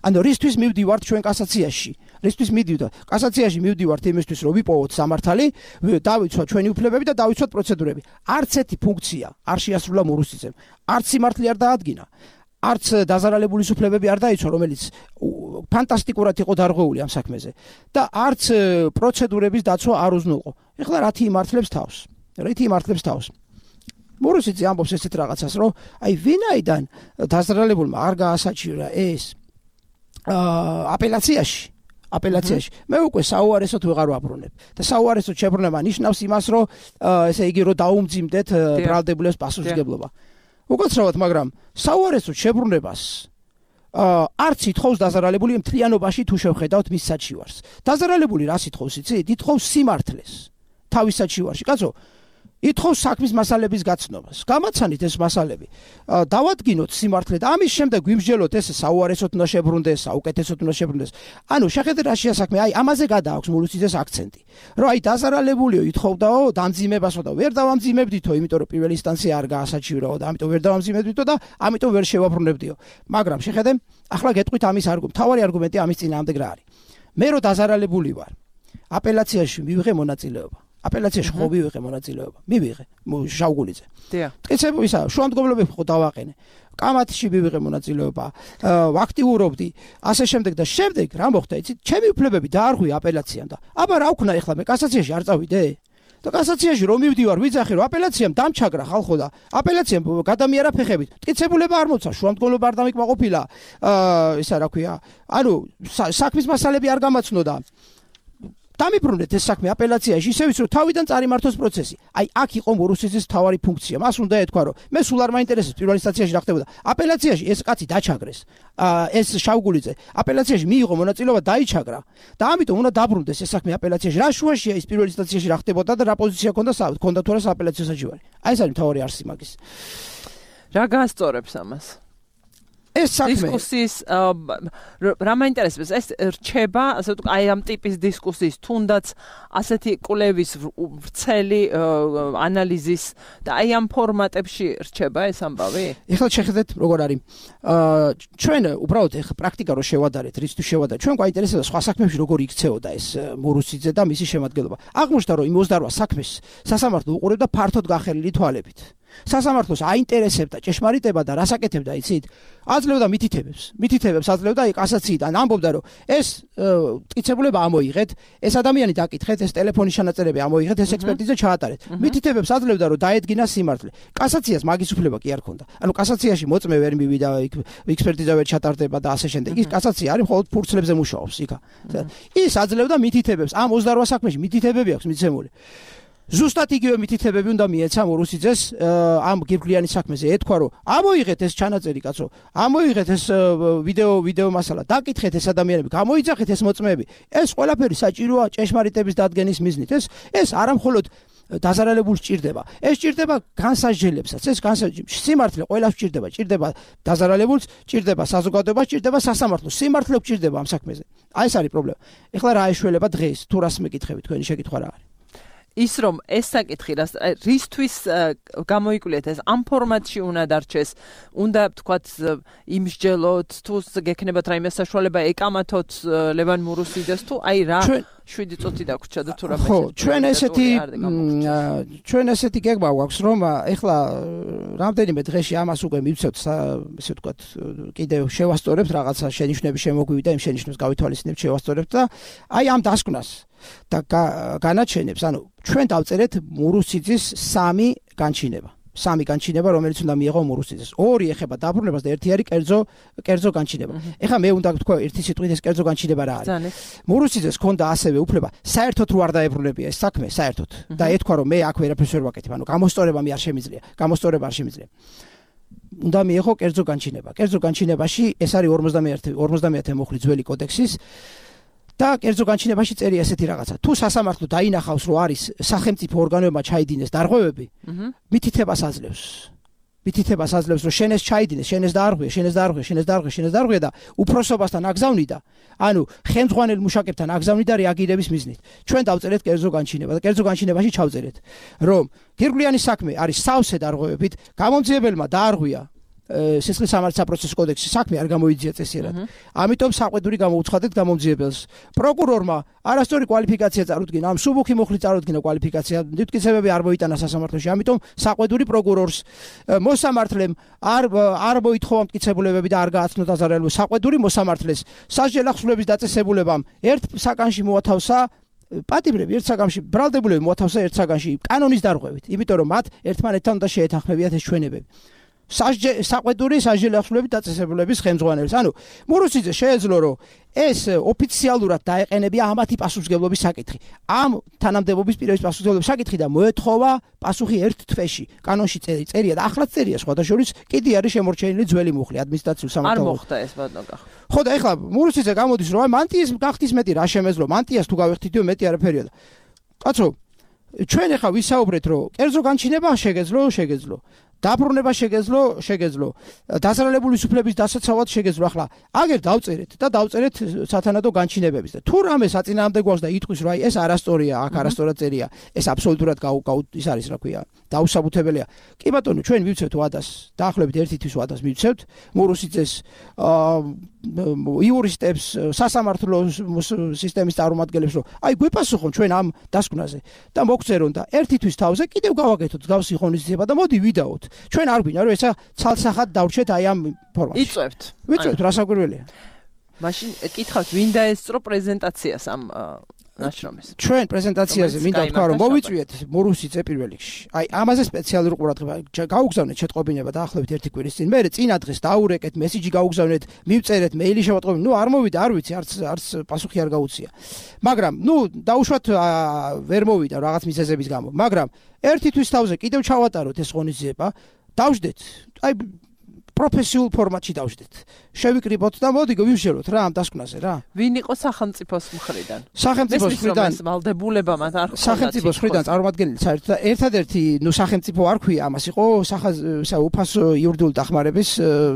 ანუ რისთვის მივდივართ ჩვენ კასაციაში? რისთვის მივდივართ? კასაციაში მივდივართ იმისთვის, რომ ვიპოვოთ სამართალი, დავიცვათ ჩვენი უფლებები და დავიცვათ პროცედურები. არც ერთი ფუნქცია არ შეასრულა მურუსიძემ. არც სიმართლე არ დაადგინა. არც დაზარალებულის უფლებები არ დაიცვა, რომელიც ფანტასტიკურად იყო დარღვეული ამ საქმეზე და არც პროცედურების დაცვა არ უზნუყო. ეხლა რათი იმართლებს თავს? მურუსიძე ამბობს ესეთ რაღაცას, რომ აი ვინაიდან დაზარალებულმა არ გაასაჩივრა ეს აპელაციაში მე უკვე საუარესოდ ვეღარ ვაბრუნებ და საუარესოდ შებრუნება ნიშნავს იმას, რომ ესე იგი რომ დაუმძიმდეთ ბრალდებულებს პასუხისმგებლობა. უკაცრავად, მაგრამ საუარესოდ შებრუნებას არც ითხოვს დაზარალებული მთლიანობაში თუ შევხედავთ მის საჩივარს. დაზარალებული რას ითხოვს, იცით? ითხოვს სიმართლეს თავის საჩივარში. კაცო, ითხოვს საქმის მასალების გაცნობას. გამაცანით ეს მასალები. დავადგინოთ სიმართლე და ამის შემდეგ გვიმსჯელოთ ეს საუარესოდ უნდა შებრუნდეს, საუკეთესოდ უნდა შებრუნდეს. ანუ შეხედეთ რა შეასაქმე, აი ამაზე გადააქვს მურუსიძეს აქცენტი. რომ აი დაზარალებულიო ითხოვდაო დამძიმებასო და ვერ დავამძიმებდითო, იმიტომ რომ პირველი ინსტანცია არ გაასაჩივრაო და ამიტომ ვერ დავამძიმებდითო და ამიტომ ვერ შევაბრუნებდიო. მაგრამ შეხედე, ახლა გეტყვით ამის თავარი არგუმენტი ამის წინააღმდეგ რა არის. მე რო დაზარალებული ვარ, აპელაციაში მივიღე მონაწილეობა. აპელაციაში ხო მივიღე მონაწილეობა. მივიღე შავგულიძე. მტკიცებო ისა, შუამდგომლობები ხო დავაყენე. კამათში მივიღე მონაწილეობა, ვაქტიურობდი, ასე შემდეგ და შემდეგ რა მოხდა, იცით? ჩემი უფლებები დაარღვია აპელაციამ და აბა რა ვქნა ეხლა მე კასაციაში არ წავიდე? და კასაციაში რომ მივდივარ, ვიძახი რომ აპელაციამ დამჩაგრა ხალხო და აპელაციამ გადამიერა ფეხებით. მტკიცებულება არ მოცა, შუამდგომლობა არ დამიკმაყოფილა, ისა რა ქვია, ანუ საქმის მასალები არ გამაცნოდა. დამიბრუნეთ ეს საქმე აპელაციაში, ისე ვის რომ თავიდან წარიმართოს პროცესი. აი აქ იყო მურუსიძის მთავარი ფუნქცია. მას უნდა ეთქვა რომ მე სულ არ მაინტერესებს პირველ ინსტანციაში რა ხდებოდა. აპელაციაში ეს კაცი დაჩაგრეს. ეს შავგულიძე აპელაციაში მიიღო მონაწილეობა, დაიჩაგრა და ამიტომ უნდა დაბრუნდეს ეს საქმე აპელაციაში. რა შუაშია ის პირველ ინსტანციაში რა ხდებოდა და რა პოზიცია ჰქონდა თუ არა აპელაციო საჩივარი. აი ეს არის მთავარი არსი მაგის. რა გაასწორებს ამას? ეს საქმე დისკუსიის რა მაინტერესებს, ეს რჩება, ასე ვთქვი, აი ამ ტიპის დისკუსიის, თუნდაც ასეთი კვლევის ვრცელი ანალიზის და აი ამ ფორმატებში რჩება ეს ამბავი? ეხლა შეხედეთ როგორ არის. ჩვენ უბრალოდ ეხლა პრაქტიკა რო შევადარეთ, რისთვის შევადარეთ, ჩვენ გვაინტერესებდა სხვა საქმეებში როგორ იქცეოდა ეს მურუსიძე და მისი შემადგენლობა. აღმოჩნდა რომ იმ 28 საქმეს სასამართლო უყურებდა ფართოდ გახელილი თვალებით. სასამართლოს აინტერესებდა ჭეშმარიტება და რას აკეთებდა, იცით? აძლევდა მითითებებს აძლევდა კასაციიდან, ამბობდა რომ ეს მტკიცებულება ამოიღეთ, ეს ადამიანი დაკითხეთ, ეს ტელეფონის ჩანაწერები ამოიღეთ, ეს ექსპერტიზა ჩაატარეთ. მითითებებს აძლევდა რომ დაედგინა სიმართლე. კასაციას მაგის უფლება კი არ ჰქონდა. ანუ კასაციაში მოწმე ვერ მივიდა, ექსპერტიზა ვერ ჩატარდება და ასე შემდეგ. ის კასაცია არის მხოლოდ ფურცლებზე მუშაობს იქა. ის აძლევდა მითითებებს, ამ 28 საქმეში მითითებები აქვს მიცემული. ზუსტად იგივე მითითებები უნდა მიეცა მურუსიძეს ამ გირგვლიანი საქმეზე. ეთქვა რომ ამოიღეთ ეს ჩანაწერი, კაცო, ამოიღეთ ეს ვიდეო მასალა, დაკითხეთ ეს ადამიანები, გამოიძახეთ ეს მოწმეები. ეს ყველაფერი საჭიროა ჭეშმარიტების დადგენის მიზნით. ეს არა მხოლოდ დაზარალებულს ჭირდება. ეს ჭირდება განსაჯელებსაც. ეს სიმართლე ყველას ჭირდება. ჭირდება დაზარალებულს, ჭირდება საზოგადოებას, ჭირდება სასამართლოს. სიმართლე ჭირდება ამ საქმეზე. აი ეს არის პრობლემა. ეხლა რა ეშველება დღეს? თუ რას მეკითხებით, თქვენი შეკითხვა რა არის? ის რომ ეს საკითხი რისთვის გამოიკვლიეთ, ეს ამ ფორმატში უნდა დარჩეს, უნდა თქვათ იმსჯელოთ, თუ გექნებათ რაიმე საშუალება ეკამათოთ ლევან მურუსიძეს, თუ აი რა 7 წუთი დაგვრჩა და თუ რამე. ხო, ჩვენ ესეთი გეგმა გვაქვს, რომ ეხლა რამდენიმე დღეში ამას უკვე მივცევთ, ესე ვთქვათ, კიდევ შევასწორებთ რაღაცა შენიშვნები შემოგვივიდა, იმ შენიშვნებს გავითვალისწინებთ, შევასწორებთ და აი ამ დასკვნას და განაჩენებს, ანუ ჩვენ დავწერეთ მურუსიძის 3 განჩინება, რომელიც უნდა მიიღო მურუსიძეს. 2 ეხება დაბრუნებას და 1 არის კერძო განჩინება. ეხლა მე უნდა ვთქვა ერთი სიტყვით ეს კერძო განჩინება რა არის. მურუსიძეს ჰქონდა ასევე უფლება საერთოდ რო არ დაებრუნებია ეს საქმე, საერთოდ. და ეთქვა რომ მე აქ ვერაფერს ვერ ვაკეთებ, ანუ გამოსწორება არ შემიძლია. უნდა მიიღო კერძო განჩინება. კერძო განჩინებაში ეს არის 51 მუხლი ძველი კოდექსის და კერძო განჩინებაში წერია ესეთი რაღაცა. თუ სასამართლო დაინახავს, რომ არის სახელმწიფო ორგანოებმა ჩაიდინეს დარღვევები, მითითებას აძლევს, რომ შენ ეს ჩაიდინეს, შენ ეს დაარღვია და უფროსობასთან აგზავნიდა, ანუ ხელმძღვანელ მუშაკებთან აგზავნიდა რეაგირების მიზნით. ჩვენ დავწერეთ კერძო განჩინება და კერძო განჩინებაში ჩავწერეთ, რომ გირგვლიანი საქმე არის სავსე დარღვევებით, გამომძიებელმა დაარღვია სისხლის სამართლის საპროცესო კოდექსის საქმე არ გამოიძია წესიერად. ამიტომ საყვედური გამოუცხადეთ გამომძიებელს. პროკურორმა არასწორი კვალიფიკაცია წარუდგინა, ამ სუბუქი მუხლი წარუდგინა კვალიფიკაცია, მტკიცებები არ მოიტანა სასამართლოში. ამიტომ საყვედური პროკურორს მოსამართლემ არ მოითხოვა მტკიცებულებები და არ გააცნო დაზარალებული. საყვედური მოსამართლეს სასჯელ ახსნების დაწესებულებამ ერთ საკანში მოათავსა პატიმრები ერთ საგამში ბრალდებულები მოათავსა ერთ საგანში კანონის დარღვევით, იმიტომ რომ მათ ერთმანეთთან უნდა შეეთანხმებიათ ეს ჩვენებები. საყვედური სასჯელი ახსნების დაწესებულების ხელმძღვანელს. ანუ მურუსიძე შეეძლო რომ ეს ოფიციალურად დაეყენებია ამათი პასუხისმგებლობის საკითხი. ამ თანამდებობის პირების პასუხისმგებლობის საკითხი და მოეთხოვა პასუხი ერთ თვეში. კანონში წერია და ახლაც წერია სხვადასხვა კიდე არის შემორჩენილი ძველი მუხლი ადმინისტრაციულ სამართალში. არ მოხდა ეს ბატონო გახ. ხო და ეხლა მურუსიძე გამოდის რომ მანტიის გახდის მეტი რა შემეძლო მანტიას თუ გავეხთითო მეტი არაფერია. კაცო ჩვენ ეხლა ვისაუბრეთ რომ კერძო განჩინება შეგეძლო დაბრუნება შეგეძლო დასარალებული სუფლების დასაცავად შეგეძლო. ახლა აგერ დავწერეთ და დავწერეთ სათანადო განჩინებების და თუ რამე საწინააღმდეგო გვაქვს და იტყვის რომ აი ეს არასწორია აქ არასწორად წერია ეს აბსოლუტურად ის არის რა ქვია დაუსაბუთებელია. კი ბატონო ჩვენ მივცევთ ვადას დაახლოებით ერთი თვის ვადას მივცევთ მურუსიძეს იურისტებს სასამართლო სისტემის წარმომადგენლებს რომ აი გვეპასუხონ ჩვენ ამ დასკვნაზე და მოგწერონ და ერთი თვის თავზე კიდევ გავაკეთოთ გავსი ღონისძიება და მოდი ვიდაოთ. ჩვენ არ გვინდა რომ ესა ცალსახად დავრჩეთ აი ამ ფორმატში. ვიწევთ რა საკვირველია. მაშინ კითხავთ ვინ დაესწრო პრეზენტაციას ამ ნაშრომის. ჩვენ პრეზენტაციაზე მინდა ვთქვა რომ მოვიწვიეთ მურუსიძე პირველ რიგში. აი ამაზე სპეციალური ყურადღება გაუგზავნეთ შეტყობინება დაახლოებით ერთი კვირის წინ. მე წინა დღეს დაურეკეთ, მესიჯი გაუგზავნეთ, მივწერეთ, მეილი შევატყობინე. ნუ არ მოვიდა, არ ვიცი, არც პასუხი არ გაუწია. მაგრამ ნუ დაუშვათ ვერ მოვიდა რაღაც მიზეზების გამო. მაგრამ ერთი თვის თავზე კიდევ ჩავატაროთ ეს ღონისძიება. დავждეთ. აი პროფესიულ ფორმატში დავждეთ. შევიკრიბოთ და მოდი ვიმშელოთ რა ამ დასკვნაზე რა. ვინ იყო სახელმწიფოს მხრიდან? სახელმწიფოს მხრიდან ვალდებულება მათ არ ხონდა. სახელმწიფოს მხრიდან წარმომადგენელი საერთოდ ერთადერთი სახელმწიფო არ ქვია ამას იყო უფასო იურიდიული დახმარების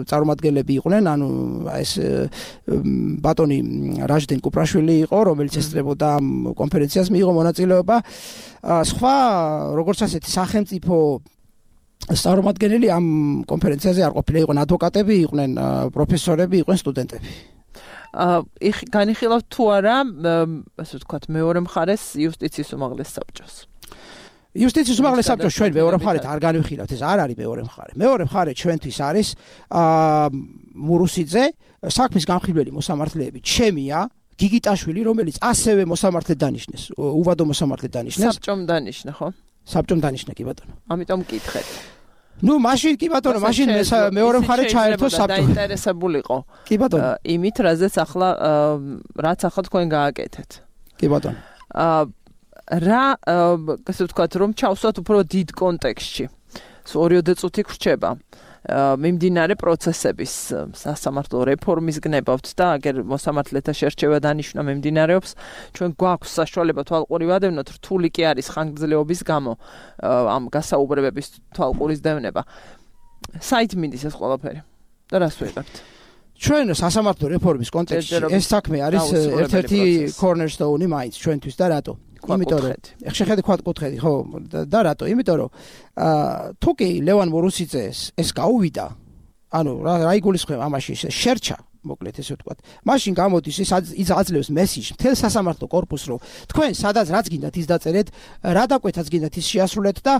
წარმომადგენლები იყვნენ, ანუ ეს ბატონი რაჟდენ კუპრაშვილი იყო, რომელიც ესწრებოდა ამ კონფერენციას მიიღო მონაწილეობა. სხვა როგორც ასეთი სახელმწიფო წარმომადგენელი ამ კონფერენციაზე არ ყოფილა, იყვნენ ადვოკატები, იყვნენ პროფესორები, იყვნენ სტუდენტები. განიხილავთ თუ არა, ასე ვთქვათ, მეორე მხარეს იუსტიციის უმაღლეს საბჭოს. იუსტიციის უმაღლეს საბჭოს ჩვენ მეორე მხარეთ არ განვიხილავთ, ეს არ არის მეორე მხარე. მეორე მხარე ჩვენთვის არის მურუსიძე, საქმის გამხილველი მოსამართლეები ჩემია, გიგიტაშვილი, რომელიც ასევე მოსამართლედ დანიშნეს, უვადო მოსამართლედ დანიშნეს. საბჭომ დანიშნა, ხო? საბჭომ დანიშნა კი ბატონო. ამიტომ მკითხეთ. ნუ მაშინ კი ბატონო, მაშინ მეორე მხარე ჩაერთო საბჭო. დაინტერესებულიყო. კი ბატონო. იმით, რაც ახლა თქვენ გააკეთეთ. კი ბატონო. რა, ასე ვთქვათ, რომ ჩავსვათ უფრო დიდ კონტექსტში. 2 წუთი გრჩება. მიმდინარე პროცესების სასამართლო რეფორმის გნებავთ და აგერ მოსამართლეთა შერჩევა დანიშნა მიმდინარეობს. ჩვენ გვაქვს საშუალება თვალყური ვადევნოთ, რთული კი არის ხანგრძლივობის გამო ამ გასაუბრებების თვალყურის დევნება. საით მინდის ეს ყველაფერი? და რას ვიღებთ? ჩვენ სასამართლო რეფორმის კონტექსტში ეს საქმე არის ერთ-ერთი cornerstone-ი მაინც ჩვენთვის და რატო? იმიტომ რომ შეხედე ქვაკუთხედი ხო და რატო? იმიტომ რომ თუ კი ლევან მურუსიძეს ეს გაუვიდა, ანუ რა იგულისხმება ამაში შერჩა, მოკლედ ესე ვთქვათ. მაშინ გამოდის ის აძლევს მესიჯს მთელ სასამართლო კორპუსს, რომ თქვენ სადაც რაც გინდათ ის დაწერეთ, რა დაკვეთაც გინდათ ის შეასრულეთ და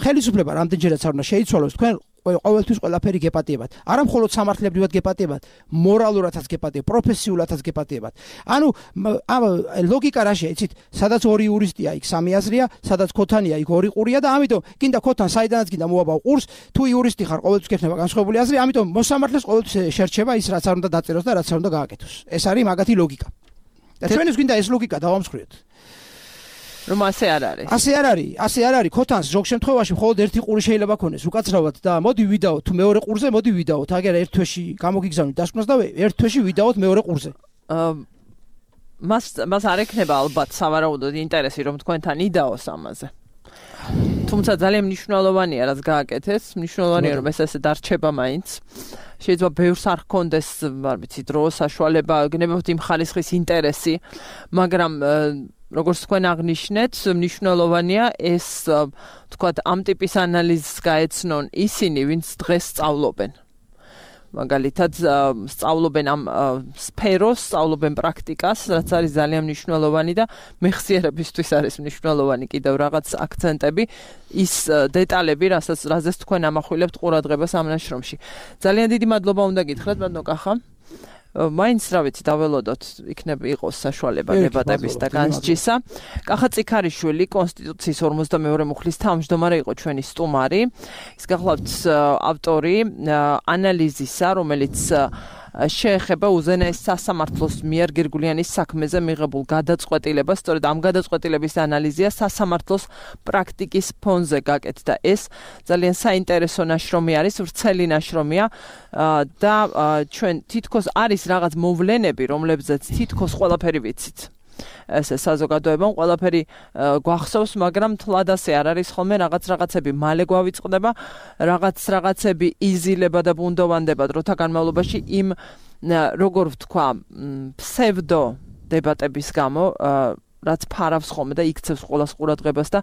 ხელისუფლება რამდენჯერაც არ უნდა შეიცვალოს, თქვენ ყოველთვის ყველაფერი გეპატიებათ. არა მხოლოდ სამართლებრივად გეპატიებათ, მორალურადაც გეპატიებათ, პროფესიულადაც გეპატიებათ. ანუ ამ ლოგიკა რაშია, იცით, სადაც ორი იურისტია, იქ სამი აზრია, სადაც ქოთანია, იქ ორი ყურია და ამიტომ გინდა ქოთან საიდანაც გინდა მოაბავ ყურს, თუ იურისტი ხარ, ყოველთვის გექნება განსხვავებული აზრი, ამიტომ მოსამართლეს ყოველთვის შერჩება ის, რაც არ უნდა დაწეროს და რაც არ უნდა გააკეთოს. ეს არის მაგათი ლოგიკა. და ჩვენს გინდა ეს ლოგიკა დავამსხვრიოთ. რომ ასე არ არის. ასე არ არის. ქოთანს ზოგ შემთხვევაში მხოლოდ ერთი ყური შეიძლება ქონდეს უკაცრავად და მოდი ვიდაოთ თუ მეორე ყურზე, მოდი ვიდაოთ. აგერ ერთ თვეში გამოგიგზავნით დასკვნას და ერთ თვეში ვიდაოთ მეორე ყურზე. მას არ ექნება ალბათ სავარაუდოდ ინტერესი რომ თქვენთან იდაოს ამაზე. თუმცა ძალიან მნიშვნელოვანია რაც გააკეთეს, მნიშვნელოვანია რომ ეს ასე დარჩება მაინც. შეიძლება ბევრს არ ჰქონდეს, არ ვიცი, დრო, საშუალება, გნებავთ იმ ხალისხის ინტერესი, მაგრამ როგორც თქვენ აღნიშნეთ, მნიშვნელოვანია ეს, თქვათ, ამ ტიპის ანალიზს გაეცნონ ისინი, ვინც დღეს სწავლობენ. მაგალითად, სწავლობენ ამ სფეროს, სწავლობენ პრაქტიკას, რაც არის ძალიან მნიშვნელოვანი და მეხსიერებისთვის არის მნიშვნელოვანი კიდევ რაღაც აქცენტები, ის დეტალები, რაზეც თქვენ ამახვილებთ ყურადღებას ამ ნაშრომში. ძალიან დიდი მადლობა უნდა გითხრათ, ბატონო კახა. მაინც რა ვიცი დაველოდოთ იქნება იყოს საშუალება დებატების და განსჯისა. კახა წიქარიშვილი კონსტიტუციის 42 მუხლის თავმჯდომარე იყო ჩვენი სტუმარი. ის გახლავთ ავტორი ანალიზისა, რომელიც შეეხება უზენაეს სასამართლოს მიერ გირგულიანის საქმეზე მიღებულ გადაწყვეტილებას, სწორედ ამ გადაწყვეტილების ანალიზია სასამართლოს პრაქტიკის ფონზე გაკეთდა. ეს ძალიან საინტერესო ნაშრომი არის, ვრცელი ნაშრომია და ჩვენ თითქოს არის რაღაც მოვლენები, რომლებზეც თითქოს ყველაფერი ვიცით. ესე საზოგადოებამ ყველაფერი გვახსოვს, მაგრამ თლად ასე არ არის ხოლმე რაღაცები მალე გვავიწყდება, რაღაცები იზილება და ბუნდოვანდება დროთა განმავლობაში იმ როგორ ვთქვა, ფსევდო დებატების გამო, რაც ფარავს ხოლმე და იქცევს ყველას ყურადღებას და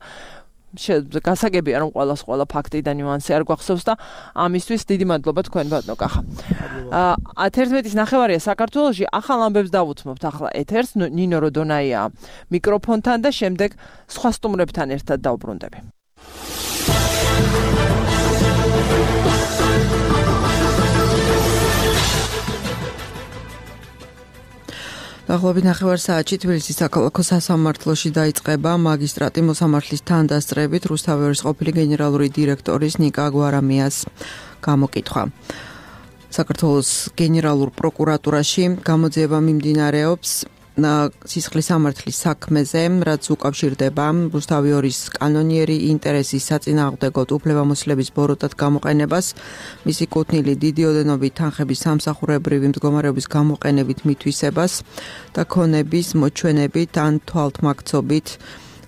გასაგებია რომ ყველა ფაქტი და ნიუანსი არ გვახსოვს და ამისთვის დიდი მადლობა თქვენ ბატონო კახა. 11:09 საქართველოში ახალ ამბებს დავუთმობთ ახლა ეთერს ნინო როდონაია მიკროფონთან და შემდეგ სხვა სტუმრებთან ერთად დავბრუნდები. დაახლოებით 9 საათში თბილისის საქალაქო სასამართლოში დაიწყება მაგისტრატი მოსამართლის თანდასწრებით რუსთავის ყოფილი გენერალური დირექტორის ნიკა გვარამიას გამოკითხვა. საქართველოს გენერალურ პროკურატურაში გამოძიება მიმდინარეობს სისხლის სამართლის საქმეზე, რაც უკავშირდება რუსთავი 2-ის კანონიერი ინტერესის საწინააღმდეგოდ უფლებამოსილების ბოროტად გამოყენებას, მისი კუთვნილი დიდი ოდენობით თანხების სამსახურებრივი მდგომარეობის გამოყენებით მითვისებას და ქონების მოჩვენებით ან თვალთმაქცობით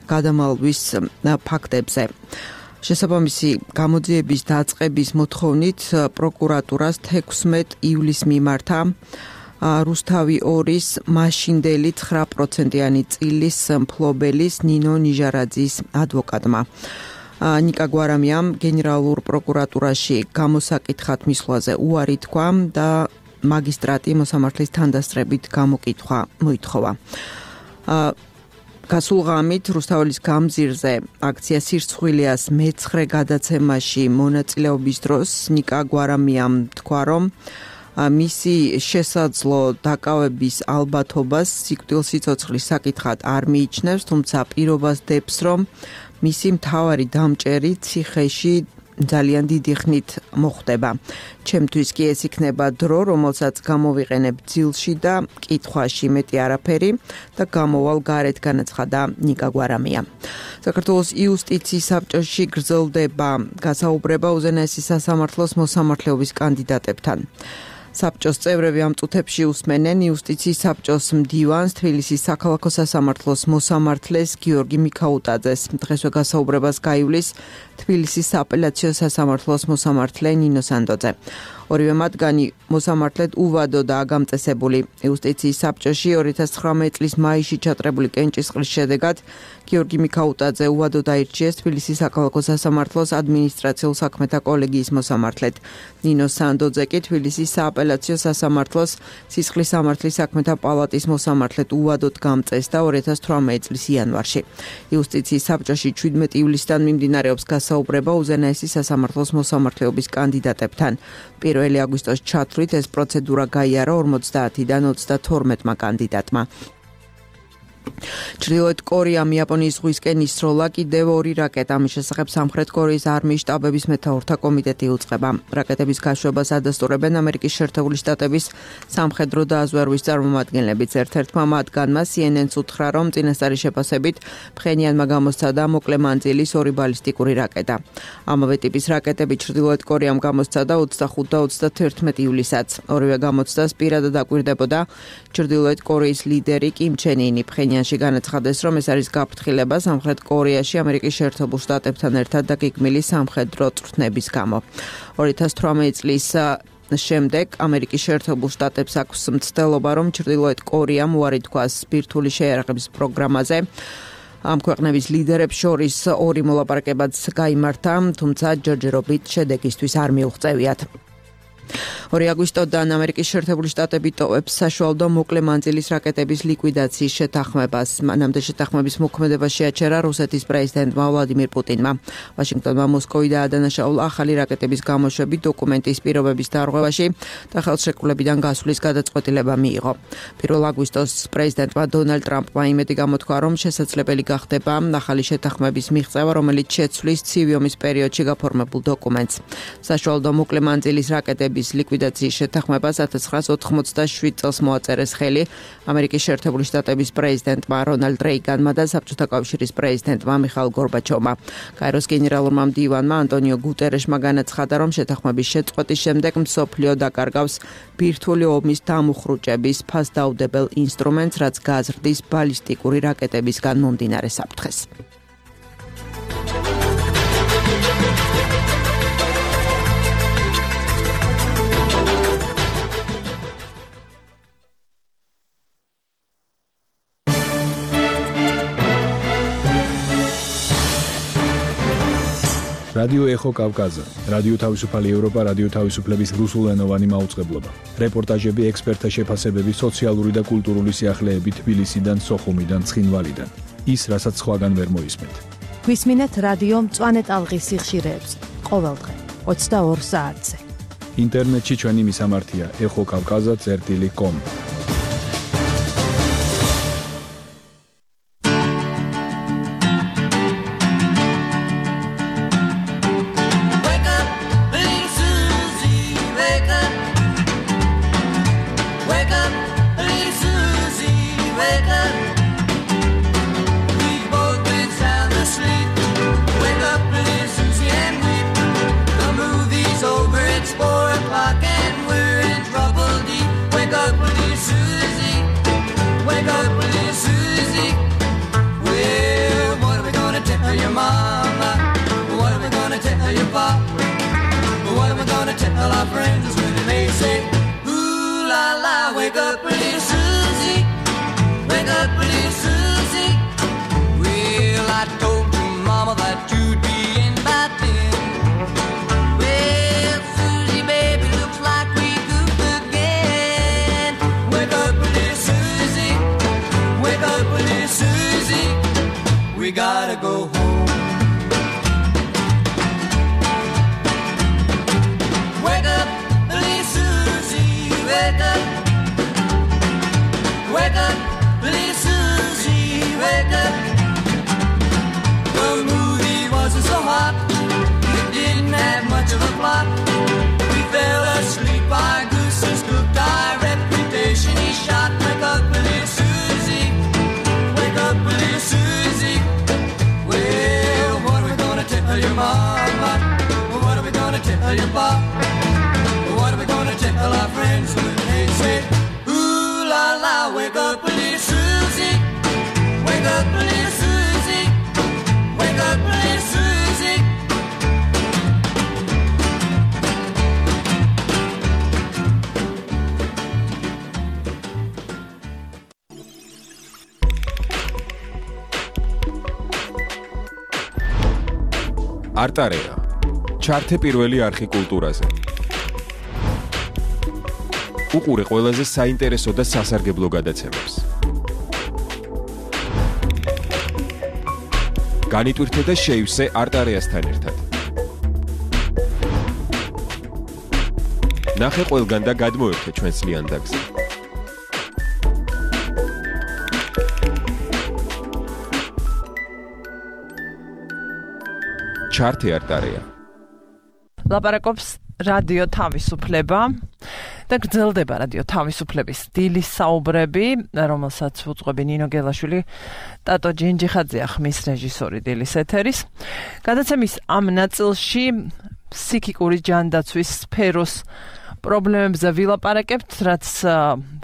გადამალვის ფაქტებზე. შესაბამისი გამოძიების დაწყების მოთხოვნით პროკურატურას 16 ივლისს მიმართა რუსთავი 2-ის მაშინდელი 9%-იანი წილის მფლობელის ნინო ნიჟარაძის ადვოკატმა. ნიკა გვარამიამ გენერალურ პროკურატურაში გამოსაკითხად მისვლაზე უარი თქვა და მაგისტრატი მოსამართლის თანდასწრებით გამოკითხვა მოითხოვა. გასულ ღამით რუსთავის გამზირზე აქცია სირცხვილიას მე-9 გადაცემაში მონაწილეობის დროს ნიკა გვარამიამ თქვა, რომ მისი შესაძლო დაკავების ალბათობას სიკვდილსიცოცხლის საკითხად არ მიიჩნევს, თუმცა პირობას დებს, რომ მისი მთავარი დამჭერი ციხეში ძალიან დიდი ხნით მოხდება. ჩემთვის კი ეს იქნება დრო, რომელსაც გამოვიყენებ ძილში და კითხვაში მეტი არაფერი და გამოვალ გარეთ, განაცხადა ნიკა გვარამია. საქართველოს იუსტიციის საბჭოში გრძელდება გასაუბრება უზენაესი სასამართლოს მოსამართლეობის კანდიდატებთან. საბჭოს წევრები ამ წუთებში უსმენენ იუსტიციის საბჭოს მდივანს, თბილისის საქალაქო სასამართლოს მოსამართლეს გიორგი მიქაუტაძეს. დღესვე გასაუბრებას გაივლის თბილისის სააპელაციო სასამართლოს მოსამართლე ნინო სანდოძე. ორივე მათგანი მოსამართლედ უვადოდაა გამწესებული. იუსტიციის საბჭოში 2019 წლის მაისში ჩატარებული კენჭისყრის შედეგად გიორგი მიქაუტაძე უვადოდ აირჩიეს თბილისის საქალაქო სასამართლოს ადმინისტრაციულ საქმეთა კოლეგიის მოსამართლედ. ნინო სანდოძე კი თბილისის სააპელაციო სასამართლოს სისხლის სამართლის საქმეთა პალატის მოსამართლედ უვადოდ გამწესდა 2018 წლის იანვარში. იუსტიციის საბჭოში 17 ივლისიდან მიმდინარეობს გასაუბრება უზენაესი სასამართლოს მოსამართლეობის კანდიდატებთან. 1 აგვისტოს ჩათვლით ეს პროცედურა გაიარა 50-დან 32 კანდიდატმა. ჩრდილოეთ კორეამ იაპონიის ზღვისკენ ისროლა კიდევ 2 რაკეტა. ამის შესახებ სამხრეთ კორეის არმიის შტაბების მეთაურთა კომიტეტი უწყება. რაკეტების გაშვებას ადასტურებენ ამერიკის შეერთებული შტატების სამხედრო დაზვერვის წარმომადგენლებიც. ერთ-ერთმა მათგანმა CNN-ს უთხრა, რომ წინასწარი შეფასებით ფხენიანმა გამოსცადა მოკლე მანძილის 2 ბალისტიკური რაკეტა. ამავე ტიპის რაკეტები ჩრდილოეთ კორეამ გამოსცადა 25 და 31 ივლისსაც. ორივე გამოცდას პირადად აკვირდებოდა ჩრდილოეთ კორეის ლიდერი კიმ ჩენ ინი. ფხენიანში განაცხადა, აღნიშნავდეს, რომ ეს არის გაფრთხილება სამხრეთ კორეაში ამერიკის შეერთებულ შტატებთან ერთად და გეგმილი სამხედრო წვრთნების გამო. 2018 წლის შემდეგ ამერიკის შეერთებულ შტატებს აქვს მცდელობა, რომ ჩრდილოეთ კორეამ უარი თქვას ბირთვული შეიარაღების პროგრამაზე. ამ ქვეყნების ლიდერებს შორის ორი მოლაპარაკებაც გაიმართა, თუმცა ჯერჯერობით შედეგისთვის არ მიუღწევიათ. 2 აგვისტოდან ამერიკის შეერთებული შტატები ტოვებს საშუალო და მოკლე მანძილის რაკეტების ლიკვიდაციის შეთანხმებას. მანამდე შეთანხმების მოქმედება შეაჩერა რუსეთის პრეზიდენტმა ვლადიმირ პუტინმა. ვაშინგტონმა მოსკოვი დაადანაშაულა ახალი რაკეტების გამოშვების დოკუმენტის პირობების დარღვევაში და ხელშეკრულებიდან გასვლის გადაწყვეტილება მიიღო. 1 აგვისტოს პრეზიდენტმა დონალდ ტრამპმა იმედი გამოთქვა, რომ შესაძლებელი გახდება ახალი შეთანხმების მიღწევა, რომელიც შეცვლის ცივი ომის პერიოდში გაფორმებულ დოკუმენტს. საშუალო და მოკლე მანძილის რაკეტების ლიკვიდაციის შეთანხმებას 1987 წელს მოაწერეს ხელი ამერიკის შეერთებული შტატების პრეზიდენტმა რონალდ რეიგანმა და საბჭოთა კავშირის პრეზიდენტმა მიხაილ გორბაჩოვმა. კაიროს გენერალურმა მდივანმა ანტონიო გუტერეშმა განაცხადა, რომ შეთანხმების შეწყვეტის შემდეგ მსოფლიო დაკარგავს ბირთვული ომის დამუხრუჭების ფასდაუდებელ ინსტრუმენტს, რაც გაზრდის ბალისტიკური რაკეტებისგან მომდინარე საფრთხეს. რადიო ეხო კავკაზა, რადიო თავისუფალი ევროპა, რადიო თავისუფლების რუსულენოვანი მაუწყებლობა. რეპორტაჟები, ექსპერტთა შეფასებები, სოციალური და კულტურული სიახლეები თბილისიდან, სოხუმიდან, ცხინვალიდან. ის, რასაც სხვაგან ვერ მოისმენთ. გვისმინეთ რადიო მწვანე ტალღის სიხშირეებს ყოველდღე 22 საათზე. ინტერნეტში ჩვენი მისამართია ეხოკავკაზა.com. Gotta go home. Wake up, please, Susie. Wake up. Wake up, please, Susie. Wake up. The movie wasn't so hot. It didn't have much of a plot. We fell asleep. Our gooses cooked. Our reputation is shot. Wake up, please, Susie. Wake up, please, Susie. Well, what are we gonna tell your mama? What are we gonna tell your pop? What are we gonna tell our friends when they say, ooh la la, wake up, please, Susie. Wake up, please, Susie. Wake up, please, Susie. არტარეა. ჩართე პირველი არხი კულტურაზე. უყურე ყველაზე საინტერესო და სასარგებლო გადაცემებს. განიტვირთე და შეივსე არტარეასთან ერთად. ნახე ყველგან და გადმოერთე ჩვენს ლიანდაგზე. ჩართე არტარეა. ლაპარაკობს რადიო თავისუფლება და გრძელდება რადიო თავისუფლების დილის საუბრები, რომელსაც უძღვები ნინო გელაშვილი, ტატო ჯინჯიხაძეა ხმის რეჟისორი დილის ეთერის. გადაცემის ამ ნაწილში ფსიქიკური ჯანდაცვის სფეროს პრობლემებზე ვილაპარაკებთ,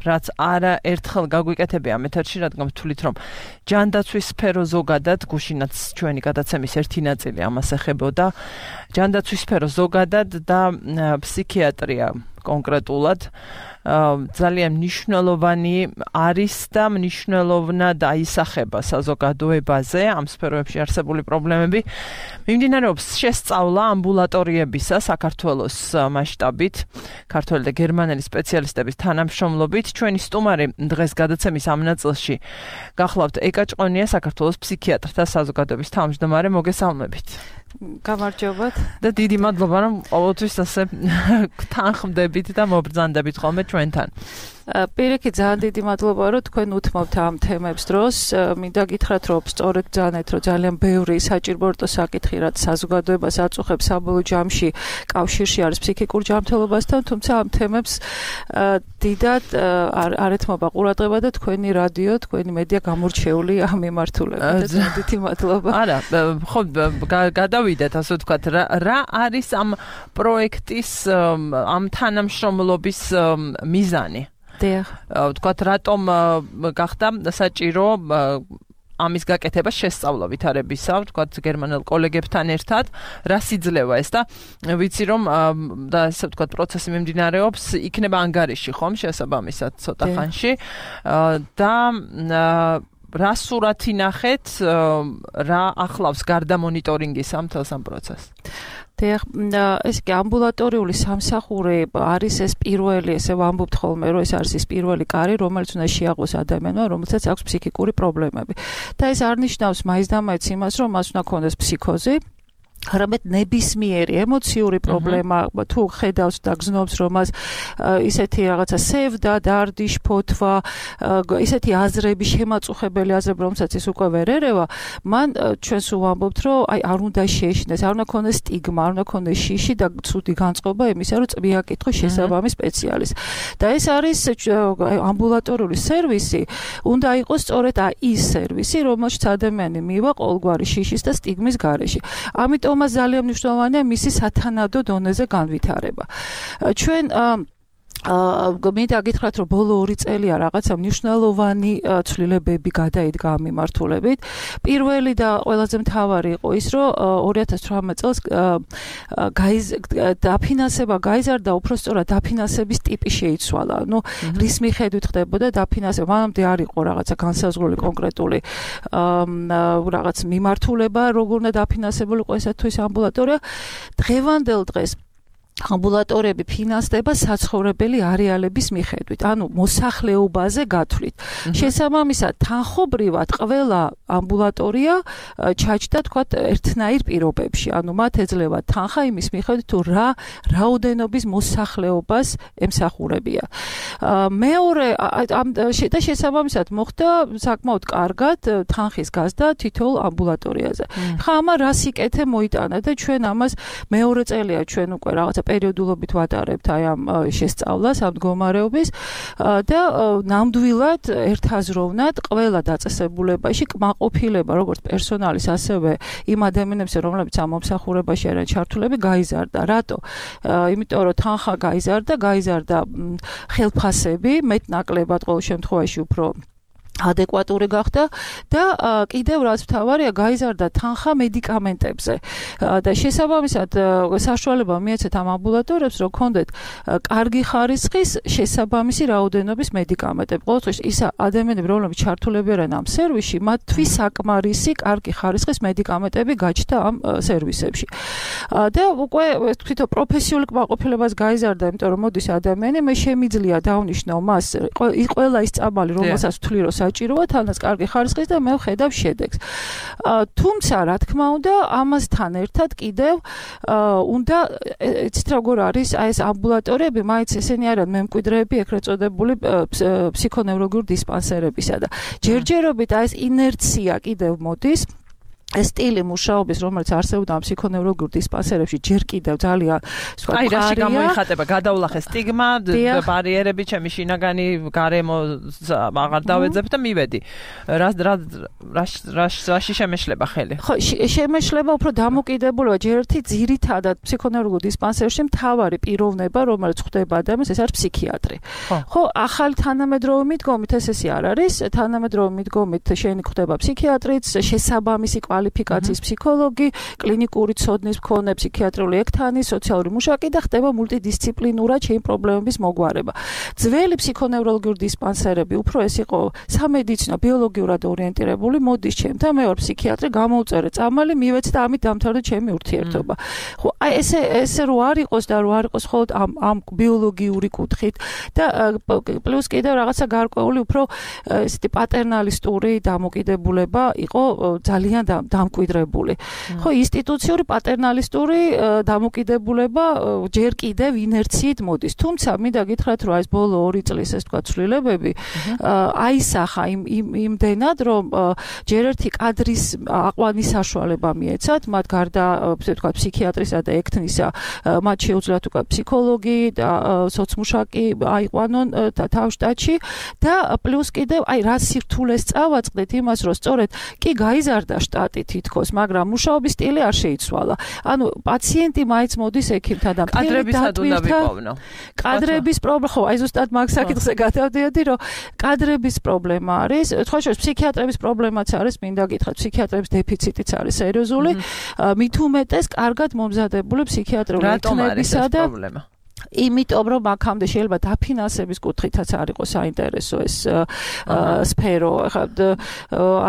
რაც არა ერთხელ გაგვიკეთებია ამ ეთერში, რადგან ვთვლით, რომ ჯანდაცვის სფერო ზოგადად, გუშინაც ჩვენი გადაცემის ერთი ნაწილი ამას ეხებოდა, ჯანდაცვის სფერო ზოგადად და ფსიქიატრია კონკრეტულად ძალიან მნიშვნელოვანი არის და მნიშვნელოვნად აისახება საზოგადოებაზე ამ სფეროებში არსებული პრობლემები. მიმდინარეობს შესწავლა ამბულატორიებისა საქართველოს მასშტაბით, ქართველი და გერმანელი სპეციალისტების თანამშრომლობით. ჩვენი სტუმარი დღეს გადაცემის ამ ნაწილში გახლავთ ეკა ჭყონია, საქართველოს ფსიქიატრთა საზოგადოების თავმჯდომარე. მოგესალმებით. გამარჯობათ და დიდი მადლობა, რომ ყოველთვის ასე თანხმდებით და მობრძანდებით ხოლმე ჩვენთან. პირიქით ძალიან დიდი მადლობა, რომ თქვენ უთმობთ ამ თემებს დროს. მინდა გითხრათ, რომ სწორედ ძალიანეთ, რომ ძალიან ბევრი საჭიროებო საკითხი, რაც საზოგადოებას აწუხებს საბოლოო ჯამში კავშირში არის ფსიქიკურ ჯანმრთელობასთან, თუმცა ამ თემებს დიდად არ ეთმობა ყურადღება და თქვენი რადიო, თქვენი მედია გამორჩეული ამ მიმართულებით. დიდი მადლობა. არა, ხო, გადავიდეთ, ასე ვთქვათ, რა არის ამ პროექტის, ამ თანამშრომლობის მიზანი? ვთქვათ, რატომ გახდა საჭირო ამის გაკეთება შესწავლა ვითარებისა, ვთქვათ, გერმანელ კოლეგებთან ერთად, რა სიძლევა ეს და ვიცი რომ და ასე ვთქვათ, პროცესი მიმდინარეობს, იქნება ანგარიში, ხომ, შესაბამისად ცოტა ხანში და რა სურათი ნახეთ, რა ახლავს გარდა მონიტორინგის ამ თელს ამ პროცესს? ეს კი ამბულატორიული სამსახური არის ეს პირველი, ესე ვამბობთ ხოლმე, რომ ეს არის ის პირველი კარი, რომელიც უნდა შეაყვეს ადამიანმა, რომელსაც აქვს ფსიქიკური პრობლემები. და ეს არ ნიშნავს მაინც და მაინც იმას, რომ მას უნდა ქონდეს ფსიქოზი, არამედ ნებისმიერი ემოციური პრობლემა, თუ ხედავს და გზნობს, რომ მას ისეთი რაღაცა სევდა, დარდი, შფოთვა, ისეთი აზრები, შემაწუხებელი აზრები, რომელსაც ის უკვე ვერ ერევა, მან ჩვენს ვამბობთ, რომ არ უნდა შეეშინდეს, არ უნდა ქონდეს სტიგმა, არ უნდა ქონდეს შიში და ცუდი განწყობა იმისა, რომ წვია კითხოს შესაბამის სპეციალისტს. და ეს არის ამბულატორიული სერვისი, უნდა იყოს სწორედ ის სერვისი, რომელშიც ადამიანი მივა ყოველგვარი შიშის და სტიგმის გარეშე. ამიტომ ძალიან მნიშვნელოვანია მისი სათანადო დონეზე განვითარება. ჩვენ მინდა გითხრათ, რომ ბოლო 2 წელია რაღაცა მნიშვნელოვანი ცვლილებები გადაიდგა ამ მიმართულებით. პირველი და ყველაზე მთავარი იყო ის, რომ 2018 წელს დაფინანსება გაიზარდა, უფრო სწორად დაფინანსების ტიპი შეიცვალა. ნუ რის მიხედვით ხდებოდა დაფინანსება? მანამდე არ იყო რაღაცა განსაზღვრული კონკრეტული რაღაც მიმართულება, როგორ უნდა დაფინანსებულიყო ესა თუ ის ამბულატორია. დღევანდელ დღეს ამბულატორიები ფინანსდება საცხოვრებელი არეალების მიხედვით, ანუ მოსახლეობაზე გათვლით. შესაბამისად, თანხობრივად ყველა ამბულატორია ჩაჯდა, თქვათ, ერთნაირ პირობებში. ანუ მათ ეძლევა თანხა იმის მიხედვით, თუ რა რაოდენობის მოსახლეობას ემსახურებია. მეორე და შესაბამისად მოხდა საკმაოდ კარგად თანხის გაზრდა თითოეულ ამბულატორიაზე. ხა ამან რას იკეთე მოიტანა და ჩვენ ამას მეორე წელია ჩვენ უკვე რაღაცა პერიოდულობით ვატარებთ აი ამ შესწავლას, ამ მდგომარეობის და ნამდვილად ერთაზროვნად ყველა დაწესებულებაში კმაყოფილება, როგორც პერსონალის, ასევე იმ ადამიანებზე, რომლებიც ამ მომსახურებაში არიან ჩართულები, გაიზარდა. რატო? იმიტომ რომ თანხა გაიზარდა ხელფასები, მეტნაკლებად ყოველ შემთხვევაში უფრო ადეკვატური გახდა და კიდევ რაც მთავარია, გაიზარდა თანხა მედიკამენტებზე და შესაბამისად საშუალება მიეცეთ ამ ამბულატორიებს, რომ ქონდეთ კარგი ხარისხის შესაბამისი რაოდენობის მედიკამენტები. ყოველთვის ის ადამიანები, რომლებიც ჩართულები არიან ამ სერვისში, მათთვის საკმარისი კარგი ხარისხის მედიკამენტები გაჩნდა ამ სერვისებში. და უკვე თვითონ პროფესიული კმაყოფილებას გაიზარდა, იმიტომ რომ მოდის ადამიანი, მე შემიძლია დავნიშნო მას ყველა ის წამალი, რომელსაც ვთვლი, რომ საჭიროა თანაც კარგი ხარისხის და მე ვხედავ შედეგს. თუმცა, რა თქმა უნდა, ამასთან ერთად კიდევ უნდა იცით როგორ არის აი ეს ამბულატორიები, მაინც ესენი არიან მემკვიდრეები ეგრეთ წოდებული ფსიქონევროლოგიური დისპანსერებისა და ჯერჯერობით აი ეს ინერცია კიდევ მოდის ეს სტილი მუშაობის, რომელიც არსებობდა ფსიქონევროლოგიურ დისპანსერებში, ჯერ კიდევ ძალიან აი რაში გამოიხატება გადავლახე სტიგმა, ბარიერები, ჩემი შინაგანი გარემო აღარ დავეძებ და მივედი. რაში შემეშლება ხელი? ხო, შემეშლება უფრო დამოკიდებულება ჯერ ერთი ძირითადად ფსიქონევროლოგიურ დისპანსერში მთავარი პიროვნება, რომელიც ხდება ადამიანს, ეს არის ფსიქიატრი. ხო, ახალი თანამედროვე მიდგომით ესე არ არის, თანამედროვე მიდგომით შენი ხდება ფსიქიატრიც, შესაბამისი კვალიფიკაციის ფსიქოლოგი, კლინიკური ცოდნის მქონე ფსიქიატრიული ექთანი, სოციალური მუშაკი და ხდება მულტიდისციპლინურად შენი პრობლემების მოგვარება. ძველი ფსიქონევროლოგიური დისპანსერები უფრო ეს იყო სამედიცინო, ბიოლოგიურად ორიენტირებული, მოდის ჩემთან, მე ვარ ფსიქიატრი, გამოვწერე წამალი, მივეც და ამით დამთავრდა ჩემი ურთიერთობა. ხო, აი ესე რო არ იყოს და რო არ იყოს მხოლოდ ამ ბიოლოგიური კუთხით და პლუს კიდევ რაღაცა გარკვეული უფრო ესეთი პატერნალისტური დამოკიდებულება იყო ძალიან დამკვიდრებული. ხო, ინსტიტუციური პატერნალისტური დამოკიდებულება ჯერ კიდევ ინერციით მოდის. თუმცა მინდა გითხრათ, რომ ეს ბოლო 2 წლის ეს თქვა ცვლილებები აისახა იმდენად, რომ ჯერ ერთი კადრის აყვანის საშუალება მიეცათ, მათ გარდა თქვა ფსიქიატრისა და ექთნისა, მათ შეუძლიათ უკვე ფსიქოლოგი და სოცმუშაკი აიყვანონ თავშტატში და პლუს კიდევ აი რა სირთულეს წავაწყდეთ იმას, რომ სწორედ კი გაიზარდა შტატი თითქოს, მაგრამ მუშაობის სტილი არ შეიცვალა. ანუ პაციენტი მაინც მოდის ექიმთან და კადრებისად უნდა ვიპოვნო. კადრების პრობლემა, ხო, აი ზუსტად მაგ საკითხზე გადავდიოდი, რომ კადრების პრობლემა არის, სხვა შორის ფსიქიატრების პრობლემაც არის, მინდა გითხრათ, ფსიქიატრების დეფიციტიც არის სერიოზული. მით უმეტეს კარგად მომზადებული ფსიქიატრიული ექთნებისა და პრობლემა. იმიტომ რომ აქამდე შეიძლება დაფინანსების კუთხითაც არ იყოს საინტერესო ეს სფერო.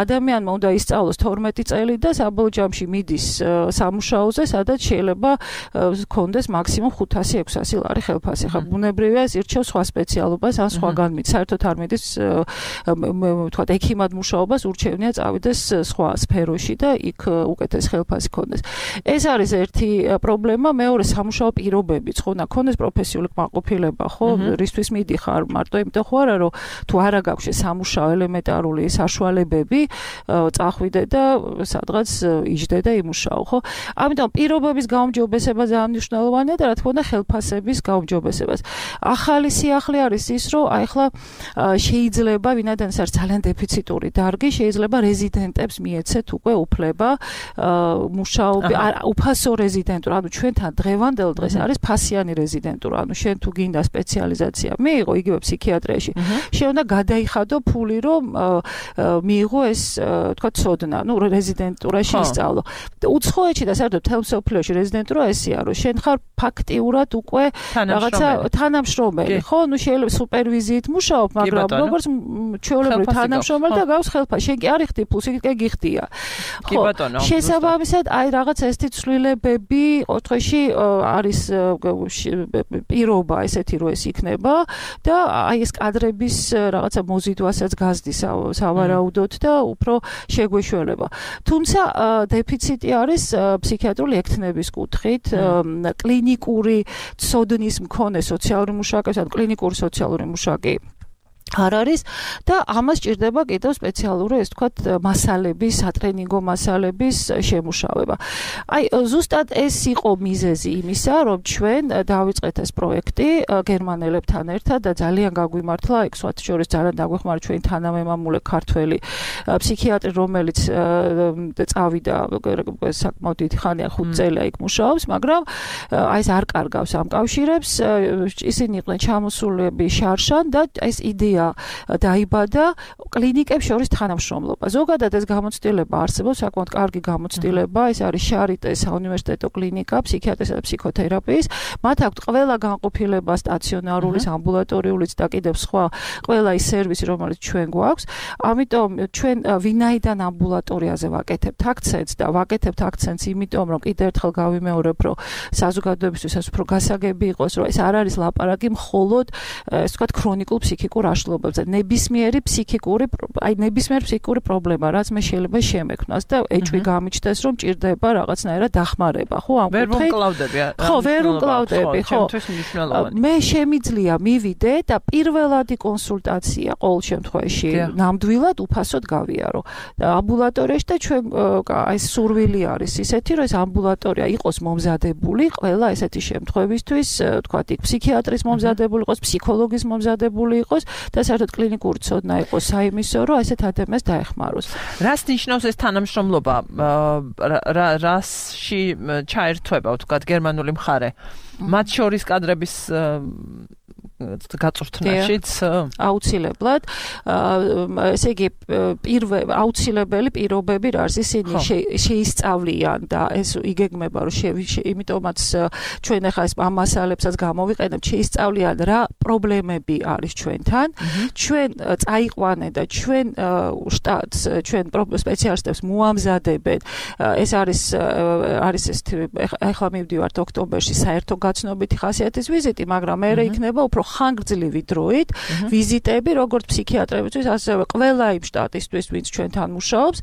ადამიანმა უნდა ისწავლოს 12 წელი და საბოლოო ჯამში მიდის სამუშაოზე, სადაც შეიძლება ჰქონდეს მაქსიმუმ 500-600 ლარი ხელფასი. ხა ბუნებრივია ეს ირჩევს სხვა სპეციალობას ან სხვაგან მიდის. საერთოდ არ მიდის ვთქვათ ექიმად მუშაობას ურჩევნია წავიდეს სხვა სფეროში და იქ უკეთეს ხელფასი ჰქონდეს. ეს არის ერთი პრობლემა, მეორე სამუშაო პირობებიც, ხო, ნახონდეს პროფესიული კმაყოფილება, ხო, რისთვის მიდიხარ, მარტო იმიტომ ხო არა, რომ თუ არა გაქვს სამუშაო ელემენტარული საშუალებები, წახვიდე და სადღაც იჯდე და იმუშაო, ხო? ამიტომ პირობების გაუმჯობესება ძალიან მნიშვნელოვანია და რა თქმა უნდა ხელფასების გაუმჯობესებას. ახალი სიახლე არის ის, რომ აი ახლა შეიძლება ვინაიდან ეს არის ძალიან დეფიციტური დარგი, შეიძლება რეზიდენტებს მიეცეთ უკვე უფლება მუშაობი, უფასო რეზიდენტურა, ანუ ჩვენთან დღევანდელ დღეს არის ფასიანი რეზიდენტურა. ანუ შენ თუ გინდა სპეციალიზაცია მიიღო იგივე ფსიქიატრიაში, შენ უნდა გადაიხადო ფული, რომ მიიღო ეს თქვა ცოდნა, ну რეზიდენტურაში ისწავლო. უცხოეთში და საერთოდ მთელ მსოფლიოში რეზიდენტურა ესეა, რომ შენ ხარ ფაქტიურად უკვე რაღაცა თანამშრომელი, ხო? ну შეიძლება სუპერვიზიით მუშაობ, მაგრამ როგორც ჩვეულებრივ თანამშრომელი და გავს ხელფასი, შენ კი არ იხდი ფულს, იქ გიხდია. კი ბატონო. შესაბამისად, აი რაღაცა ესეთი ცვლილებები ოთხში არის პირობა ესეთი რომ ეს იქნება და აი ეს კადრების რაღაცა მოზიდვასაც გაზდის სავარაუდოდ და უფრო შეგვეშველება. თუმცა დეფიციტი არის ფსიქიატრიული ექთნების კუთხით, კლინიკური ცოდნის მქონე სოციალური მუშაკი, ან კლინიკური სოციალური მუშაკი არ არის და ამას ჭირდება კიდევ სპეციალური ეს თქვათ მასალების, სატრენინგო მასალების შემუშავება. აი ზუსტად ეს იყო მიზეზი იმისა, რომ ჩვენ დავიწყეთ ეს პროექტი გერმანელებთან ერთად და ძალიან გაგვიმართლა, ეგ სხვათა შორის ძალიან დაგვეხმარა ჩვენი თანამემამულე ქართველი ფსიქიატრი, რომელიც წავიდა საკმაოდ დიდი ხანია 5 წელია იქ მუშაობს, მაგრამ აი ეს არ კარგავს ამ კავშირებს, ისინი იყვნენ ჩამოსულები შარშან და ეს იდეა დაიბადა კლინიკებს შორის თანამშრომლობა. ზოგადად ეს გამოცდილება არსებობს, საკმაოდ კარგი გამოცდილება, ეს არის შარიტეს საუნივერსიტეტო კლინიკა ფსიქიატრისა და ფსიქოთერაპიის. მათ აქვთ ყველა განყოფილება სტაციონარულის, ამბულატორიულიც და კიდევ სხვა ყველა ის სერვისი, რომელიც ჩვენ გვაქვს. ამიტომ ჩვენ ვინაიდან ამბულატორიაზე ვაკეთებთ აქცენტს და ვაკეთებთ აქცენტს იმიტომ, რომ კიდევ ერთხელ გავიმეორებ, რომ საზოგადოებისთვის ეს უფრო გასაგები იყოს, რომ ეს არ არის ლაპარაკი მხოლოდ ეს ვთქვათ ქრონიკულ ფსიქიკურ აშლილობაზე. უსამართლობებზე, ნებისმიერი ფსიქიკური პრობლემა, რაც მე შეიძლება შემექმნას და ეჭვი გამიჩნდეს, რომ ჭირდება რაღაცნაირად დახმარება, ხო, ამ ვერ ვუმკლავდები. ხო, ვერ ვუმკლავდები, ხო. მე შემიძლია მივიდე და პირველადი კონსულტაცია ყოველ შემთხვევაში ნამდვილად უფასოდ გავიარო. და ამბულატორიაში და ჩვენ აი სურვილი არის ისეთი, რომ ეს ამბულატორია იყოს მომზადებული ყველა ესეთი შემთხვევისთვის, თქვათ, იქ ფსიქიატრის მომზადებული იყოს, ფსიქოლოგის მომზადებული იყოს და საერთოდ კლინიკური ცოდნა იყოს საიმისო, რომ ესეთ ადამიანს დაეხმაროს. რას ნიშნავს ეს თანამშრომლობა? რასში ჩაერთვება, თქვათ, გერმანული მხარე? მათ შორის კადრების გაწვრთნაშიც აუცილებლად ესე იგი აუცილებელი პირობები რა არის ისინი შეისწავლიან და ეს იგეგმება რომ იმიტომაც ჩვენ ახლა ეს ამ მასალებსაც გამოვიყენებთ შეისწავლიან რა პრობლემები არის ჩვენთან ჩვენ წაიყვანენ და ჩვენ შტატს ჩვენ სპეციალისტებს მოამზადებენ ეს არის ეს ახლა მივდივართ ოქტომბერში საერთო გაცნობითი ხასიათის ვიზიტი მაგრამ მე იქნება უფრო ხანგრძლივი დროით ვიზიტები როგორც ფსიქიატრებისთვის ასევე ყველა იმ შტატისთვის ვინც ჩვენთან მუშაობს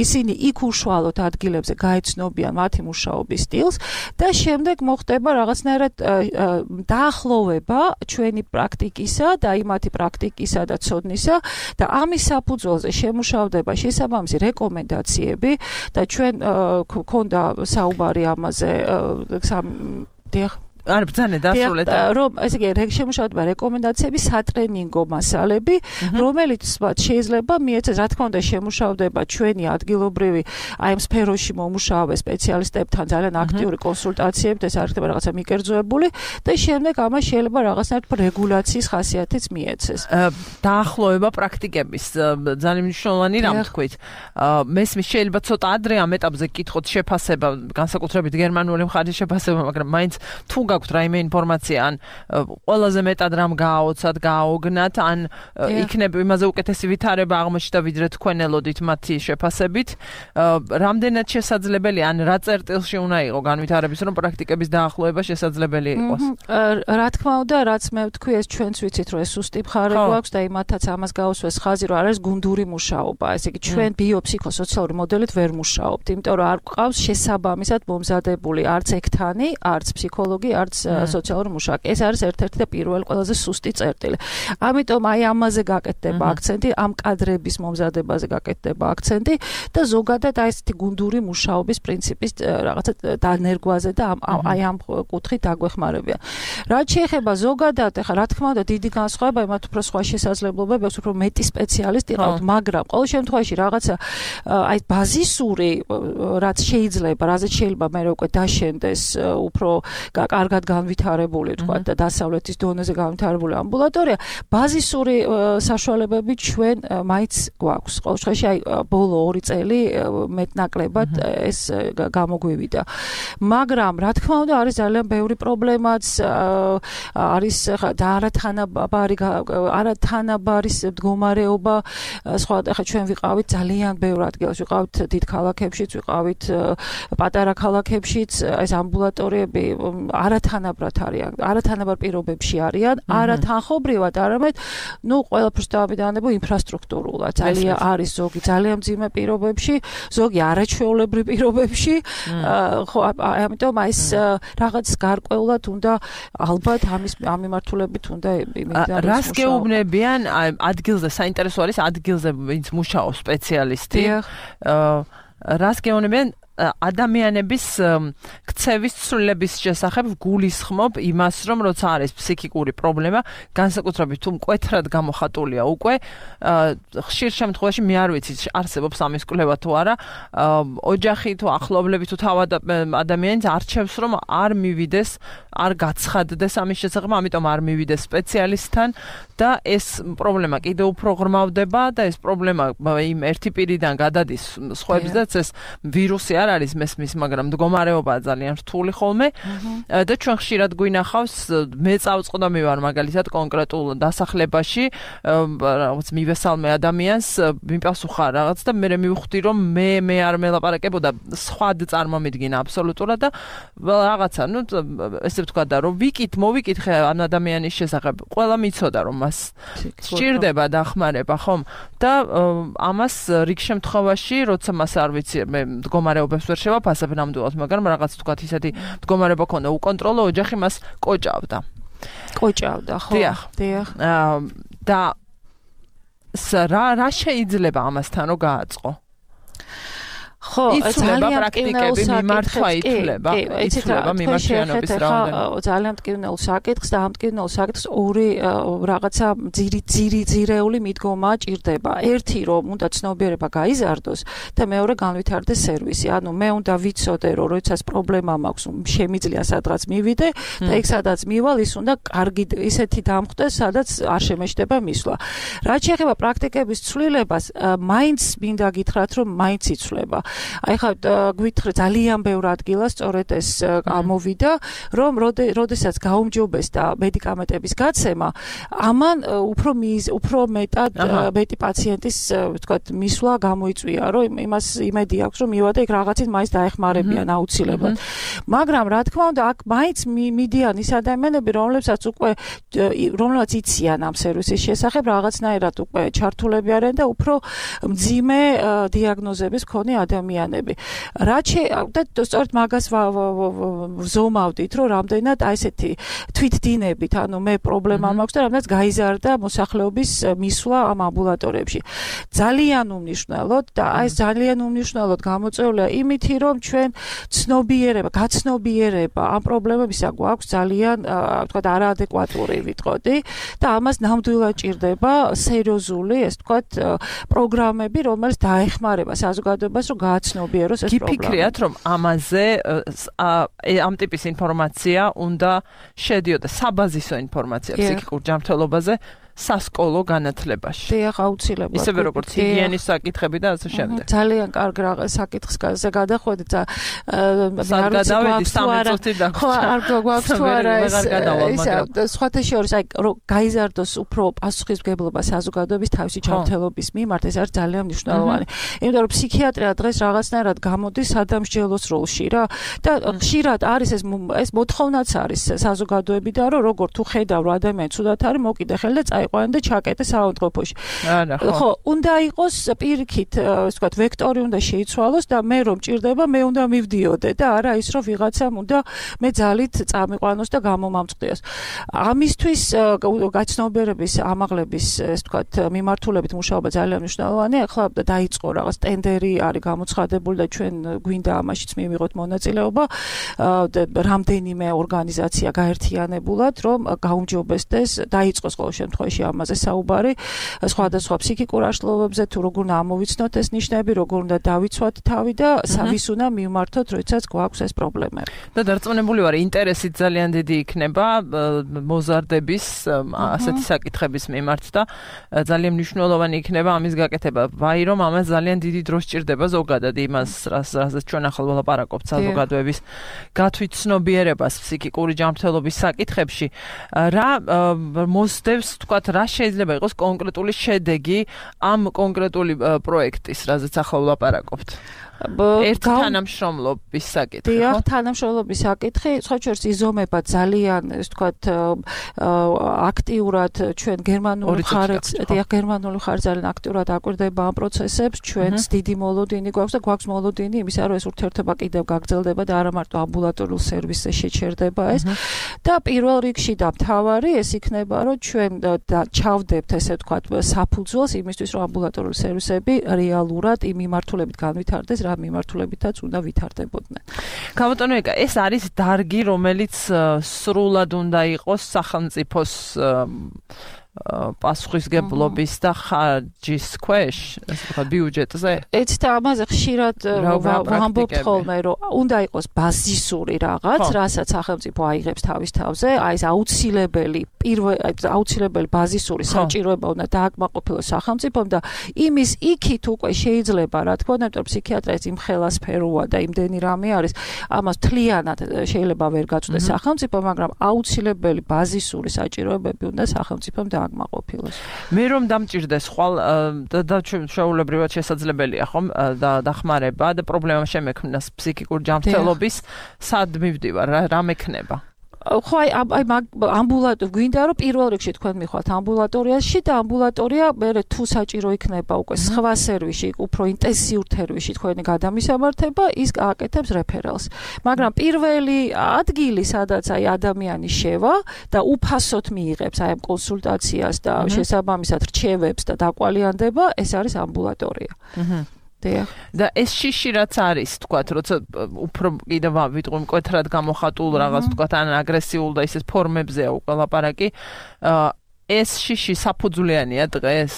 ისინი იქ უშუალოდ ადგილებზე გაეცნობიან მათი მუშაობის სტილს და შემდეგ მოხდება რაღაცნაირად დაახლოვება ჩვენი პრაქტიკისა და იმათი პრაქტიკისა და ცოდნისა და ამის საფუძველზე შემუშავდება შესაბამისი რეკომენდაციები და ჩვენ გქონდა საუბარი ამაზე არ ბრძანე დასრულეთ რომ ესე იგი შემუშავდება რეკომენდაციები სატრენინგო მასალები რომელიც შეიძლება მიეცეს რა თქმა უნდა შემუშავდება ჩვენი ადგილობრივი აი ამ სფეროში მომუშავე სპეციალისტებთან ძალიან აქტიური კონსულტაციებით ეს არ ხდება რაღაცა მიკერძოებული და შემდეგ ამას შეიძლება რაღაცნაირად რეგულაციის ხასიათიც მიეცეს დაახლოება პრაქტიკების ძალიან მნიშვნელოვანი რამ თქვით მესმის შეიძლება ცოტა ადრე ამ ეტაპზე გკითხოთ შეფასება განსაკუთრებით გერმანული მხარის შეფასება მაგრამ მაინც თუ გაქვთ რაიმე ინფორმაცია ან ყველაზე მეტად რამ გააოცათ, გააოგნათ, ან იქნებ იმაზე უკეთესი ვითარება აღმოჩნდა ვიდრე თქვენ ელოდით მათი შეფასებით. რამდენად შესაძლებელი ან რა წერტილში უნდა იყოს განვითარების რომ პრაქტიკების დაახლოება შესაძლებელი იყოს. რა თქმა უნდა, რაც მე ვთქვი, ეს ჩვენც ვიცით, რომ ეს სუსტი მხარე გვაქვს და იმათაც ამას გაუსვეს ხაზი, რომ არის გუნდური მუშაობა. ესე იგი ჩვენ ბიოფსიქოსოციალური მოდელით ვერ მუშაობთ, იმიტომ რომ არ გვყავს შესაბამისად მომზადებული არც ექთანი, არც ფსიქოლოგი არც სოციალური მუშაკი. ეს არის ერთ-ერთი და პირველი ყველაზე სუსტი წერტილი. ამიტომ აი ამაზე გაკეთდება აქცენტი, ამ კადრების მომზადებაზე გაკეთდება აქცენტი და ზოგადად აი ესეთი გუნდური მუშაობის პრინციპის რაღაცა დანერგვაზე და აი ამ კუთხით დაგვეხმარებიან. რაც შეეხება ზოგადად, ახლა რა თქმა უნდა დიდი განსხვავება, იმათ უფრო სხვა შესაძლებლობები აქვს, უფრო მეტი სპეციალისტი ყავთ, მაგრამ ყოველ შემთხვევაში რაღაცა აი ბაზისური რაც შეიძლება, რაზეც შეიძლება მე უკვე დაშენდეს უფრო კარგად განვითარებული, თქვა და დასავლეთის დონეზე განვითარებული ამბულატორია, ბაზისური საშუალებები ჩვენ მაინც გვაქვს. ყოველ შემთხვევაში აი ბოლო 2 წელი მეტნაკლებად ეს გამოგვივიდა. მაგრამ რა თქმა უნდა არის ძალიან ბევრი პრობლემაც არის და არათანაბარი მდგომარეობა, სხვა ახლა ჩვენ ვიყავით ძალიან ბევრ ადგილებში, ვიყავით დიდ ქალაქებშიც, ვიყავით პატარა ქალაქებშიც, ეს ამბულატორიები არათანაბარ პირობებში არიან, არათანხობრივად, არამედ ყველაფერს დავამიდანებო ინფრასტრუქტურულად. ძალიან არის ზოგი ძალიან მძიმე პირობებში, ზოგი არაჩვეულებრივ პირობებში. ხო, ამიტომ აი ეს რაღაც გარკვეულად უნდა ალბათ ამ მიმართულებით უნდა იმედად რას გეუბნებიან ადგილზე საინტერესო არის ადგილზე ვინც მუშაობს სპეციალისტი. რას გეუბნებიან ადამიანების ქცევის ცვლილების შესახებ გულისხმობ იმას, რომ როცა არის ფსიქიკური პრობლემა, განსაკუთრებით თუ მკვეთრად გამოხატულია უკვე, ხშირ შემთხვევაში მე არ ვიცი, არსებობს ამის კვლევა თუ არა, ოჯახი თუ ახლობლები თუ თავად ადამიანს არჩევს, რომ არ მივიდეს, არ გაცხადდეს ამის შესახებ, ამიტომ არ მივიდეს სპეციალისტთან და ეს პრობლემა კიდევ უფრო ღრმავდება და ეს პრობლემა იმ ერთი პირიდან გადადის სხვებსაც ეს ვირუსი არ არის მესმის, მაგრამ მდგომარეობაა ძალიან რთული ხოლმე და ჩვენ ხშირად გვინახავს მე წავწყდომი ვარ მაგალითად კონკრეტულ დასახლებაში რაღაც მივესალმე ადამიანს მიპასუხა რაღაც და მე მივხვდი რომ მე არ მელაპარაკებოდა სხვა წარმომიდგინა აბსოლუტურად და რაღაცა ნუ ესე ვთქვა და რომ მოვიკითხე ამ ადამიანის შესახებ ყველა მიცოდა რომ მას სჭირდება დახმარება ხომ და ამას რიგ შემთხვევაში როცა მას არ ვიცი მე მდგომარეობებს ვერ შევაფასებ ნამდვილად მაგრამ რაღაც ვთქვა ისეთი მდგომარეობა ქონდა უკონტროლო ოჯახი მას კოჭავდა ხო დიახ და რა შეიძლება ამასთან რომ გააწყო ხო ძალიან პრაქტიკები მიმართვა ითვლება მიმართვიანობის რაოდენობა ძალიან მტკივნეულ საკითხს და ამ მტკივნეულ საკითხს ორი რაღაცა ძირეული მიდგომა ჭირდება ერთი რომ უნდა ცნობიერება გაიზარდოს და მეორე განვითარდეს სერვისი ანუ მე უნდა ვიცოდე რომ როდესაც პრობლემა მაქვს შემიძლია სადღაც მივიდე და იქ სადაც მივალ ის უნდა კარგი ისეთი დამხვდეს სადაც არ შემეშდება მისვლა რაც შეეხება პრაქტიკების ცვლილებას მაინც მინდა გითხრათ რომ მაინც იცვლება აი ხა გვითხრე ძალიან ბევრ ადგილას სწორედ ეს ამოვიდა რომ როდესაც გაუმჯობესდა მედიკამენტების გაცემა ამან უფრო მეტად მეტი პაციენტის ვთქვათ მისვლა გამოიწვია რომ იმას იმედი აქვს რომ მივადა იქ რაღაცით მაინც დაეხმარებიან აუცილებლად მაგრამ რა თქმა უნდა აქ მაინც მიდიან ის ადამიანები რომლებსაც იციან ამ სერვისის შესახებ რაღაცნაირად უკვე ჩართულები არიან და უფრო მძიმე დიაგნოზების მქონე ადამიანები. და სწორედ მაგას ვზომავდით, რომ რამდენად აი ესეთი თვითდინებით, ანუ მე პრობლემა მაქვს და რამდენად გაიზარდა მოსახლეობის მისვლა ამ ამბულატორიებში. ძალიან უმნიშვნელოდ და აი ეს ძალიან უმნიშვნელოდ გამოწვეულია იმითი, რომ ჩვენ გაცნობიერება ამ პრობლემებისა გვაქვს ძალიან, ვთქვათ, არაადეკვატური ვიტყოდი და ამას ნამდვილად ჭირდება სერიოზული, ეს ვთქვათ, პროგრამები, რომელიც დაეხმარება საზოგადოებას, რომ გააცნობიეროს ეს პრობლემა. გიფიქრიათ, რომ ამაზე ამ ტიპის ინფორმაცია უნდა შედიოდა საბაზისო ინფორმაცია ფსიქიკურ ჯანმრთელობაზე სასკოლო განათლებაში. დიახ, აუცილებლად. ისევე როგორც ჰიგიენის საკითხები და ასე შემდეგ. ძალიან კარგ საკითხს გადახვედი და სარგადავედი 13 წუთი და არ გვაქვს თუ არა ეს სხვათა შორის აი გაიზარდოს უფრო პასუხისმგებლობა საზოგადოების თავისი ჯანმრთელობის მიმართ ეს არის ძალიან მნიშვნელოვანი. იმიტომ რომ ფსიქიატრია დღეს რაღაცნაირად გამოდის სადამსჯელოს როლში რა და ხშირად არის ეს მოთხოვნაც არის საზოგადოებიდან რომ როგორ თუ ხედავ რომ ადამიანი ცუდად არის მოკიდე ხელი და წაიყვანე და ჩაკეტე საავადმყოფოში. ხო, უნდა იყოს პირიქით, ასე ვთქვათ, ვექტორი უნდა შეიცვალოს და მე რომ ჭირდება, მე უნდა მივდიოდე და არა ის რომ ვიღაცამ უნდა მე ძალით წამიყვანოს და გამომამწყდიოს. ამისთვის გაცნობიერების ამაღლების, ასე ვთქვათ, მიმართულებით მუშაობა ძალიან მნიშვნელოვანია. ახლა დაიწყო რაღაც ტენდერი არის გამოცხადებული და ჩვენ გვინდა ამაშიც მივიღოთ მონაწილეობა. რამდენიმე ორგანიზაცია გაერთიანებულად, რომ გაუმჯობესდეს, დაიწყოს ყოველ შემთხვევაში ამაზე საუბარი სხვადასხვა ფსიქიკურ აშლილობებზე თუ როგორ უნდა ამოვიცნოთ ეს ნიშნები, როგორ უნდა დავიცვათ თავი და ვის უნდა მივმართოთ, როდესაც გვაქვს ეს პრობლემები. და დარწმუნებული ვარ, ინტერესით ძალიან დიდი იქნება მოზარდების ასეთი საკითხების მიმართ და ძალიან მნიშვნელოვანი იქნება ამის გაკეთება. ვაი რომ ამას ძალიან დიდი დრო სჭირდება ზოგადად იმას, რასაც ჩვენ ახლა ვლაპარაკობთ საზოგადოების გათვითცნობიერებას ფსიქიკური ჯანმრთელობის საკითხებში. რა მოსდევს თქვათ რა შეიძლება იყოს კონკრეტული შედეგი ამ კონკრეტული პროექტის, რაზეც ახლა ვლაპარაკობთ? ერთ თანამშრომლობის საკითხი, ხო? დიახ, თანამშრომლობის საკითხი, სხვა შორის იზომება ძალიან, ასე ვთქვათ, აქტიურად ჩვენ გერმანული ხარჯ ძალიან აქტიურად აკვირდება ამ პროცესებს, ჩვენს დიდი მოლოდინი გვაქვს და გვაქვს მოლოდინი იმისა, რომ ეს ურთიერთობა კიდევ გაგრძელდება და არა მარტო ამბულატორიულ სერვისზე შეჩერდება ეს. და პირველ რიგში და მთავარი ეს იქნება, რომ ჩვენ ჩავდებთ, ესე ვთქვათ, საფუძველს იმისთვის, რომ ამბულატორიული სერვისები რეალურად იმ მიმართულებით განვითარდეს, რა მიმართულებითაც უნდა ვითარდებოდნენ. გამოტანო ეკა, ეს არის დარგი, რომელიც სრულად უნდა იყოს სახელმწიფოს პასუხისგებლობის და ხარჯის ქვეშ, ასე ვთქვათ, ბიუჯეტზე. ეც და ამაზე ხშირად ვამბობთ ხოლმე, რომ უნდა იყოს ბაზისური რაღაც, რასაც სახელმწიფო აიღებს თავის თავზე, აი ეს აუცილებელი ბაზისური საჭიროება უნდა დააკმაყოფილოს სახელმწიფომ და იმის იქით უკვე შეიძლება, რა თქმა უნდა, იმიტომ ფსიქიატრია ის იმხელა სფეროა და იმდენი რამე არის, ამას თლიანად შეიძლება ვერ გაწვდეს სახელმწიფო, მაგრამ აუცილებელი ბაზისური საჭიროებები უნდა სახელმწიფომ დააკმაყოფილოს. მე რომ დამჭირდეს ხვალ და ჩვეულებრივად შესაძლებელია ხომ და დახმარება და პრობლემა შემექმნას ფსიქიკურ ჯანმრთელობის, სად მივდივარ, რა მექნება? ხო აი ამბულატორია გვინდა რომ პირველ რიგში თქვენ მიხვალთ ამბულატორიაში და ამბულატორია მე თუ საჭირო იქნება უკვე სხვა სერვისი უფრო ინტენსიურ თერვისში თქვენი გადამისამართება ის აკეთებს რეფერალს მაგრამ პირველი ადგილი სადაც აი ადამიანი შევა და უფასოდ მიიღებს აი ამ კონსულტაციას და შესაბამისად რჩევებს და დაკვალიანდება ეს არის ამბულატორია და ეს შიში რაც არის, თქვათ, როცა უფრო კიდევ ვიტყვი მკვეთრად გამოხატულ რაღაც, თქვათ, ან აგრესიულ და ისეთ ფორმებზეა უკვე ლაპარაკი, ეს შიში საფუძვლიანია დღეს?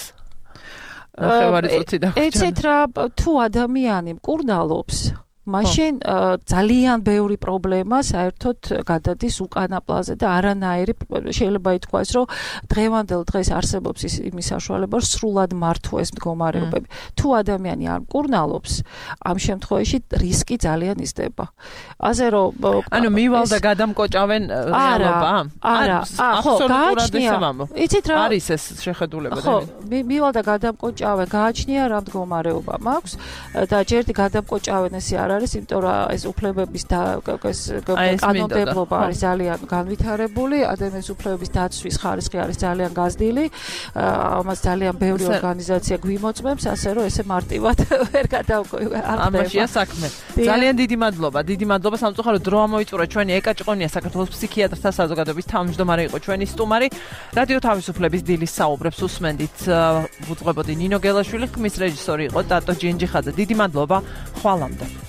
ნახევარი წუთი დაგვჭირდა. ეცეთ რა, თუ ადამიანი მკურნალობს, მაშინ ძალიან ბევრი პრობლემა საერთოდ გადადის უკანა პლანზე და არანაირი შეიძლება ითქვას, რომ დღევანდელ დღეს არსებობს იმის საშუალება, რომ სრულად მართვეს მდგომარეობები. თუ ადამიანი არ მკურნალობს, ამ შემთხვევაში რისკი ძალიან იზრდება. ასე რომ ანუ მივალ და გადამკოჭავენ რეალობა? არა, ხო, გააჩნია. იცით რა არის ეს შეხედულება? ხო, მივალ და გადამკოჭავენ, გააჩნია რა მდგომარეობა მაქვს და ჯერდი გადამკოჭავენ ესე არის, იმიტომ რომ ეს უფლებების კანონმდებლობა არის ძალიან განვითარებული, ადამიანის უფლებების დაცვის ხარისხი არის ძალიან გაზრდილი, ამას ძალიან ბევრი ორგანიზაცია გვიმოწმებს, ასე რომ ესე მარტივად ვერ გადავყავ. ამაშია საქმე. ძალიან დიდი მადლობა სამწუხაროდ დრო ამოიწურა ჩვენი ეკა ჭყონია საქართველოს ფსიქიატრთა საზოგადოების თავმჯდომარე იყო ჩვენი სტუმარი. რადიო თავისუფლების დილის საუბრებს უსმენდით, ვუძღვებოდი ნინო გელაშვილი, ხმის რეჟისორი იყო ტატო ჯინჯიხაძე. დიდი მადლობა, ხვალამდე.